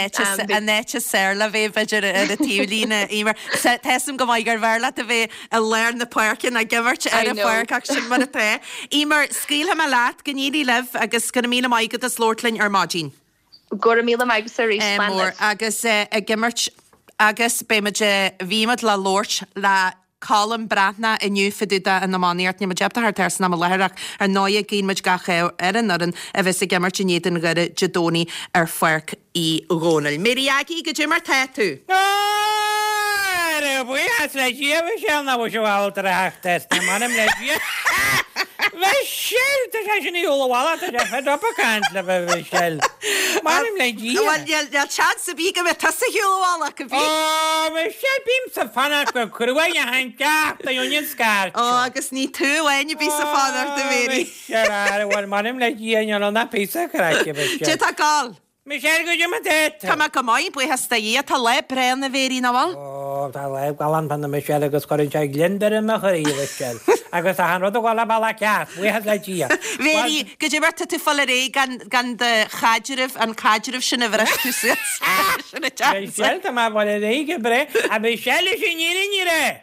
áit is fearr le bheith b'fhéidir ar an taobhlíne, Eimear. Tá 'fhios a'm go maith gurbh fhearr leat a bheith i lár na páirce ná ag imirt ar an pháirc ach sin mar atá. Eimear, scaoilfidh mé leat, go n-éirí libh agus go raibh míle maith agat as labhairt linn ar maidin. Go raibh míle maith agat arís, slán mór libh. Agus ag imirt agus beimid, bhí muid le labhairt le Colm Breathnach inniu fá dtaobh den iománaíocht. Níl muid ábalta theacht air san am i láthair ach ar ndóighe guíonn muid gach ádh ar an fhoireann a bheas ag imirt in éadan Dhoire Dé Domhnaigh ar Pháirc Uí Dhónaill. Mary Aggie, goidé mar tá tú? Ara, buíochas le Dia, a Mhichelle, nach bhfuil sé ábalta a theacht air. Tá m'anam le Dia. Michelle, tá sé sin ar shiúl an bhealach, tá sé fed up ag caint libh, a Mhichelle. M'anam le Dia. Bhuel, níl níl seans ar bith go mbeidh tusa ar shiúl an bhealach, a bhí. Ó, Michelle, bímse ag fanacht go cruaidh achan tseachtain ón scairt Ó, seo. agus ní tú amháin a bhíos ag fanacht, a Ó, Mhary. Michelle, ara, bhuel, m'anam le Dia, níl ann ach píosa craic, a Mhichelle. Cad é tá ag gabháil? Michelle, goidé mar tá tú? Tá mé go maith, buíochas do Dhia. Tá lá breá ann, a Mhéirí, nach bhfuil? Ó, tá lá galánta ann, a Michelle, agus cuireann sé gliondar i mo chroí, a Mhichelle. Agus tá an rud ag dul an bealach ceart, buíochas le Dia. Mhéirí, goidé mar tá tú ag fáil ar aghaidh gan, gan do chaidreamh, an caidreamh sin a bhris tú suas. Sin a deas. Michelle, tá mé ag fáil ar aghaidh go breá. A Mhichelle, is í an fhírinne a rá.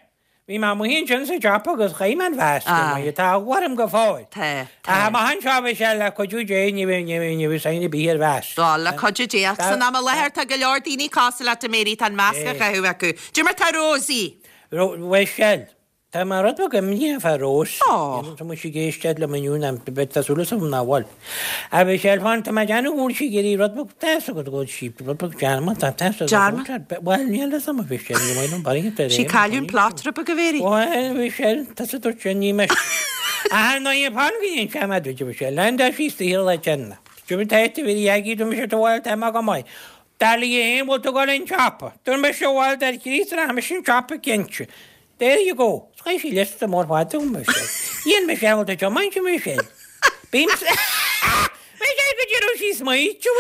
Bhí mé amuigh ansin sa tsiopa agus chaith mé an mhasc Ah. amuigh, tá eagla orm go fóill. Tá, tá. Ach amach anseo a Mhichelle, le cuidiú Dé, ní bheidh, ní bheidh, ní bheidh sign ar bith ar mhasc. Á, le cuidiú Dé, ach Tá- san am i láthair tá go leor daoine cosúil leat, a Mhéirí, tá an masc á É. chaitheamh acu. Goidé mar tá Rosie? Ro, Mhichelle, tá mé rud beag imníoch fá Rose. Ó. Tá muid ag éisteacht liom inniu ná beidh tá súil agam nach bhfuil. A Mhichelle, fan, tá mé ag déanamh go bhfuil sí ag iarraidh rud beag, tá 'fhios agat go bhfuil sí rud beag dearmad, tá tá 'fhios agat Dearmad? Bhuel, níl 'fhios a'm a Mhichelle, ní bhfuil an barraíocht ar Sí aon cailleadh an chaoi. plot rud beag, a Mhéirí. Bhuel, Mhichelle, tá sa dúirt sin, ní mise. Ach ná ní fan go ndéan sé mé duit, a Mhichelle, lean sí saothar le déanamh. Dúirt mé, tá bhí agí, dúirt mise, bhuel, tá mé go maith. Dar léi féin, bhfuil tú ag dul an tsiopa. Dúirt mise, bhuel, dar Chríost, rachaidh mise an tsiopa cinnte. There you go. Chaith sí liosta mór fada dom, Michelle. Dhein Michelle, bhfuil tú ag tiomáint, a Michelle? Bím Michelle, go dtí raibh sí smaoitiú.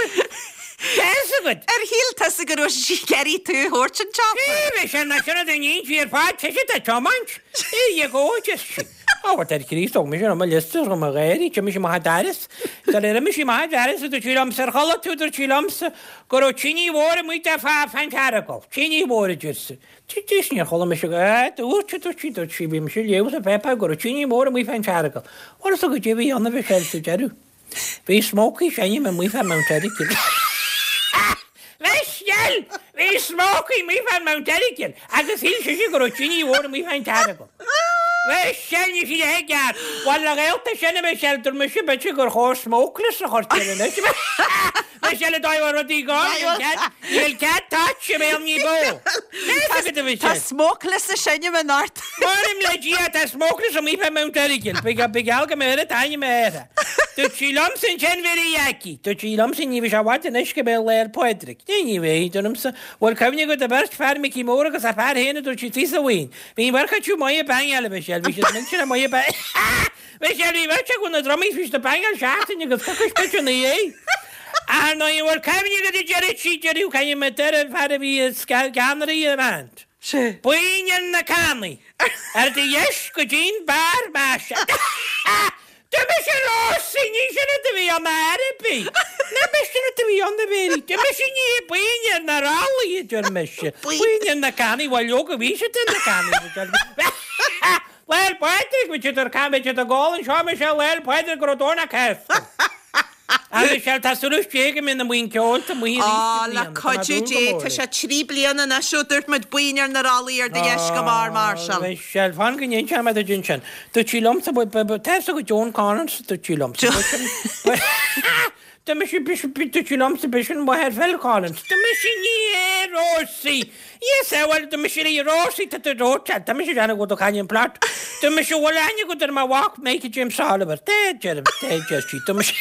Tá 'fhios agat. Ar shíl tusa go raibh sí ag iarraidh tú a thabhairt an tsiopa? Sé, Michelle, ná sin rud a níonn sí ar fad, tá siad ag tiomáint. There you go, just sí. Ó, dar Chríost, thóg mise mo liosta, thóg mo gháirí, d'imigh sí amach an doras. Sar ar imigh sí amach an doras, dúirt sí liomsa, ar chuala tú, dúirt sí liomsa, go raibh tine mhór amuigh de fá fán Earagail. Tine mhór, a deir sí. Dís níor chuala mise go, ah, dúirt, dúirt sí, dúirt sí, bhí mise ag léamh sa pháipéar go raibh tine mhór amuigh fán Earagail. Bhuel, is goidé a bhí ann a Mhichelle sa deireadh. Bhí smoke ag seinm amuigh fá Mount Errigal. Michelle! Bhí smoke amuigh fán Mount Errigal agus shíl sise go raibh tine mhór amuigh fán Earagail. Michelle, ní sí le ceart. Bhuel, le gaolta sin a Michelle, dúirt mise b'fhéidir gur chóir smokeless a chur air anois. Michelle, dá bhfuil rudaí gá, níl cead touch i mbéal ní bó. Tá smokeless ag seinm anocht. M'anam le Dia, tá smokeless amuigh fá Mount Errigal. Ba gheall go mbeadh oiread ainm air. Dúirt sí liomsa ansin Mhéirí Aggie. Dúirt sí liomsa ní bheidh sé i bhfad anois go mbeidh Lá 'le Pádraig. Ní, ní bheidh, dúramsa. Bhfuil cuimhne agat ar bheirt fear Micí Mór agus a fear féin a dúirt sí thíos sa bhuíon. Bhí an bheirt acu maith ag bangáil, a Mhichelle. Bhí siad millteanach maith ag bangáil. Michelle, bhí beirt acu na drumaí, bhí siad ag bangáil seachtain agus coicís b'fhéidir ina dhiaidh. Ar ndóigh, an bhfuil cuimhne agat a deireadh sí, deireadh caithfidh mé deireadh an fear a bhí i gceannairí an band. Buíon ar na cannaí. Ar do dheis go dtí'n beár maise. Dúirt mise Rósaí, ní sin rud a bhí ann ar bith. Ní sin rud a bhí ann a Mhéirí. Dúirt mise ní buíon ar na rollaí a deir mise. Buíon ar na cannaí, bhuel leoga bhí siad ar na cannaí. Lá 'le Pádraig, bhí siad ar can, bhí siad ag gabháil anseo, mise Lá 'le Pádraig go raibh Domhnach Cásca. A Michelle, tá súil Dé go mbeidh na buíon ceoil tá amuigh arís Á, i le mbliana, tá mé cuidiú dúil go Dé, mór tá leis. sé trí bliana anois ó dúirt muid buíon ar na rollaí ar do dheis go mbarr Marshall. Michelle, fan go n-inseoidh mé duit ansin. Dúirt sí liomsa, ba- ba- ba- tá 'fhios agat Joan Collins, dúirt sí liomsa. Dúirt mise, dúirt sí liomsa, b'shin máthair Phil Collins. Dúirt mise, ní hea, Rosie. Yes, eh, bhuel, dúirt mise léi, Rosie, tá tú dóite, tá mise ag déanamh go bhfuil tú ag caint an plot. Dúirt mise, bhfuil aithne agat ar mo mhac, Michael James Oliver. Tá, deir, tá, deir sí. Dúirt mise,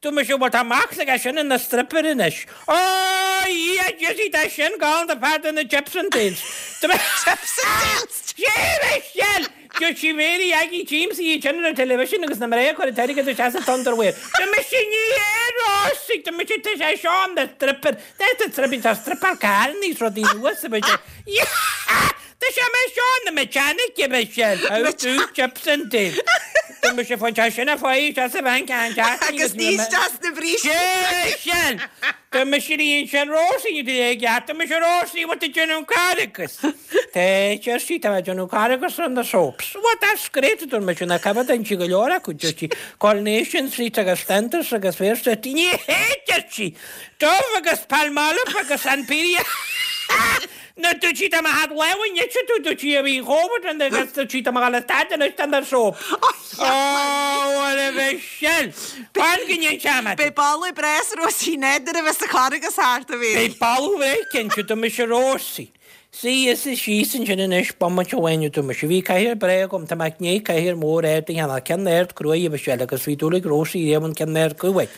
dúirt mise, bhuel, tá mac aige sin ina stripper anois. Ó, yeah, Jesse, tá sin galánta fear de na Chips and Dales. Dúirt mise, Chips and Dales! Sé, Michelle! Dúirt sí Mary Aggie James í sin ar an television agus na mná ag cur an t-airgead isteach sa underwear. Dúirt mise ní hea Rosie, dúirt mise tá sé seo an stripper, that's the stripper, tá stripper carn is rudaí nua sa bhfuil sé. Tá sé mé seo na mechanic a Michelle. How to chips and dale. Tá mise fán teach sin a fáigh isteach sa bhanc an teach. Agus ní isteach sna brístí. Michelle! Tá mise rí ansin Rosie ní ag geat, tá mise Rosie what did you know caracas? Tá deir sí tá mé ag déanamh caracas on the soaps. What that's great a dúirt mise na cabad an sí go leor acu deir sí Coronation Street agus Flanders agus Fair Street. Ní hea deir sí! Dove agus Palmolive agus Imperial. Nó dúirt sí tá mé thad lámh inniu tú dúirt sí a bhí chomh an agus dúirt sí tá mé ag stad anois den the soap. Oh, what a Michelle! Fan go ndéan seamad. Beidh boladh breá sa Rosie Ned nuair a bheas an caracas thart a Mhéirí. Beidh boladh breá cinnte do mise Rosie. Suigh is síos ansin anois bomaite amháin a dúirt mise. Bhí cathaoir breá agam, tá mé i ndiaidh cathaoir mór ard a cheannach, ceann ard cruaidh a Mhichelle agus bhí dúil ag Rosie riamh an ceann ard cruaidh.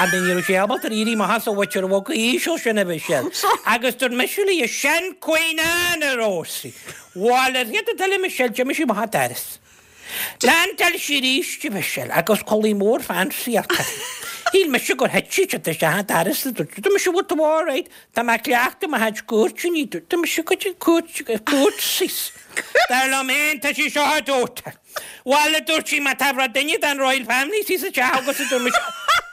And ní raibh sé ábalta éirí amach as an bhfuitear bhog íseal sin a Mhichelle. Agus dúirt mise léi, sin Queen Anne a Rosie. Bhuel, ar chéad dul a Michelle, d'imigh sí amach an doras. Landáil sí arís a Mhichelle agus culaith mór fancy uirthi. Shíl mise gur thit sí isteach an doras a dúirt Tá mise bhfuil tú alright, tá mé ag cleachtadh mo chuid cúirteanna, dúirt Tá mise cuid cúirt cúirtsies. Dar liom féin tá sí seo a dúirt. Bhuel a dúirt sí má tá rud duine den Royal Family sí sa teach agus a dúirt mise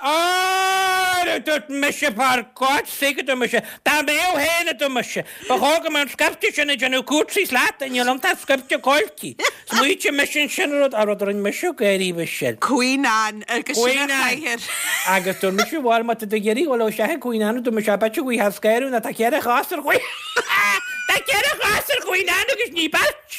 Á a dúirt mise for God's sake a dúirt mise dá mbeadh féin a dúirt mise ba chóir go mbeadh an scaifte sin ag déanamh cúirtsies leat níl iontu ach scaifte coiltí. Smaoitigh mise ansin rud a rud a rinne mise gáirí Michelle. Queen Anne agus sin Queen a Anne. chathaoir. Agus dúirt mise bhuel má tá tú ag iarraidh dhul isteach ag Queen Anne dúirt mise b'fhéidir go bhfaighfeá scaradh nó tá ceithre chos ar Queen Tá ceithre chos ar Queen Anne agus ní beirt.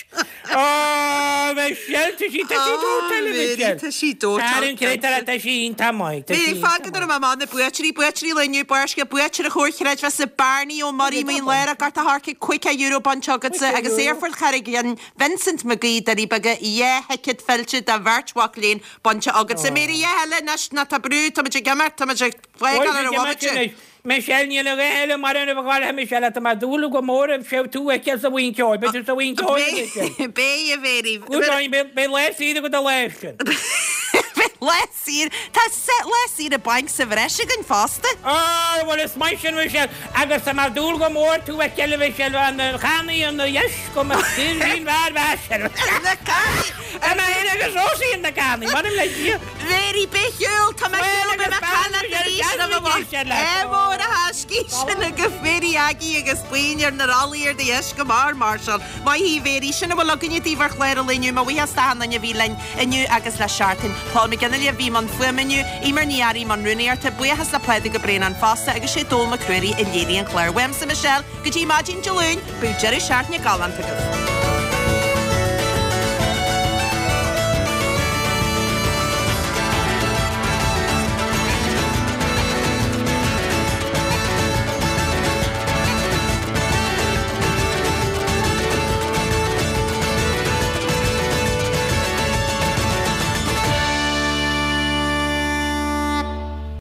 Ó Michelle tá sí tá sí Ó dóite le Mary Michelle. tá sí dóite Ar an gcréatúr tá sí iontach maith tá Mary sí fág go raibh mé amach na buaiteoirí buaiteoirí lae inniu Barrscéal buaiteoir an Chomhar Chreidmheasa Barney Ó Muirí Maoin Lára Gort a' Choirce caoga euro bainte agatsa agus Aerfort Charraig Fhinn Vincent Mac Aoidh Doirí Beaga dhá thicéad fillte do bheirt mhac léinn bainte agatsa. Mary a dhath eile anois ná tá brú tá muid ag imeacht tá muid ag fágáil ar an bhomaite. Michelle níl a dhath eile mar an a bheith Michelle tá mé ag dúil go mór a bheith tú a fheiceáil sa bhuíon ceoil beidh tú sa bhuíon ceoil Michelle. Beidh a Mhéirí. Good on you beidh lá saor agat an lá sin. Beidh lá saor Tá lá saoire bainc sa bhreis againn fosta. Á bhuel is maith sin Michelle agus tá mé ag dúil go mór tú a fheiceáil Michelle an channaí an dheis go mbeadh saoirsín mhear mheasar. Na cannaí! Tá mé féin agus Rosie in na cannaí, m'anam le Dia. Mhéirí beidh shiúl tá mé shiúl beidh mé cailleach arís roimh an bhaile. É mór a thaiscí sin agaibh Mhéirí Aggie agus buíon ar na rollaí ar do dheis go mear máirseáil. Maith thú Mhéirí, sin a bhfuil againne daoibh ar chlár an lae inniu, mo bhuíochas d'achan duine a bhí linn inniu agus le seachtain. Paul McGinley a bhí i mbun fuaime inniu, Eimear Ní Fhearraigh i mbun rúnaíochta, buíochas le Pádraig Ó Braonáin fosta agus sé Dónall Mac Ruairí a léirigh an clár. Uaimse Michelle, go dtí maidin Dé Luain, bíodh deireadh seachtaine galánta agaibh.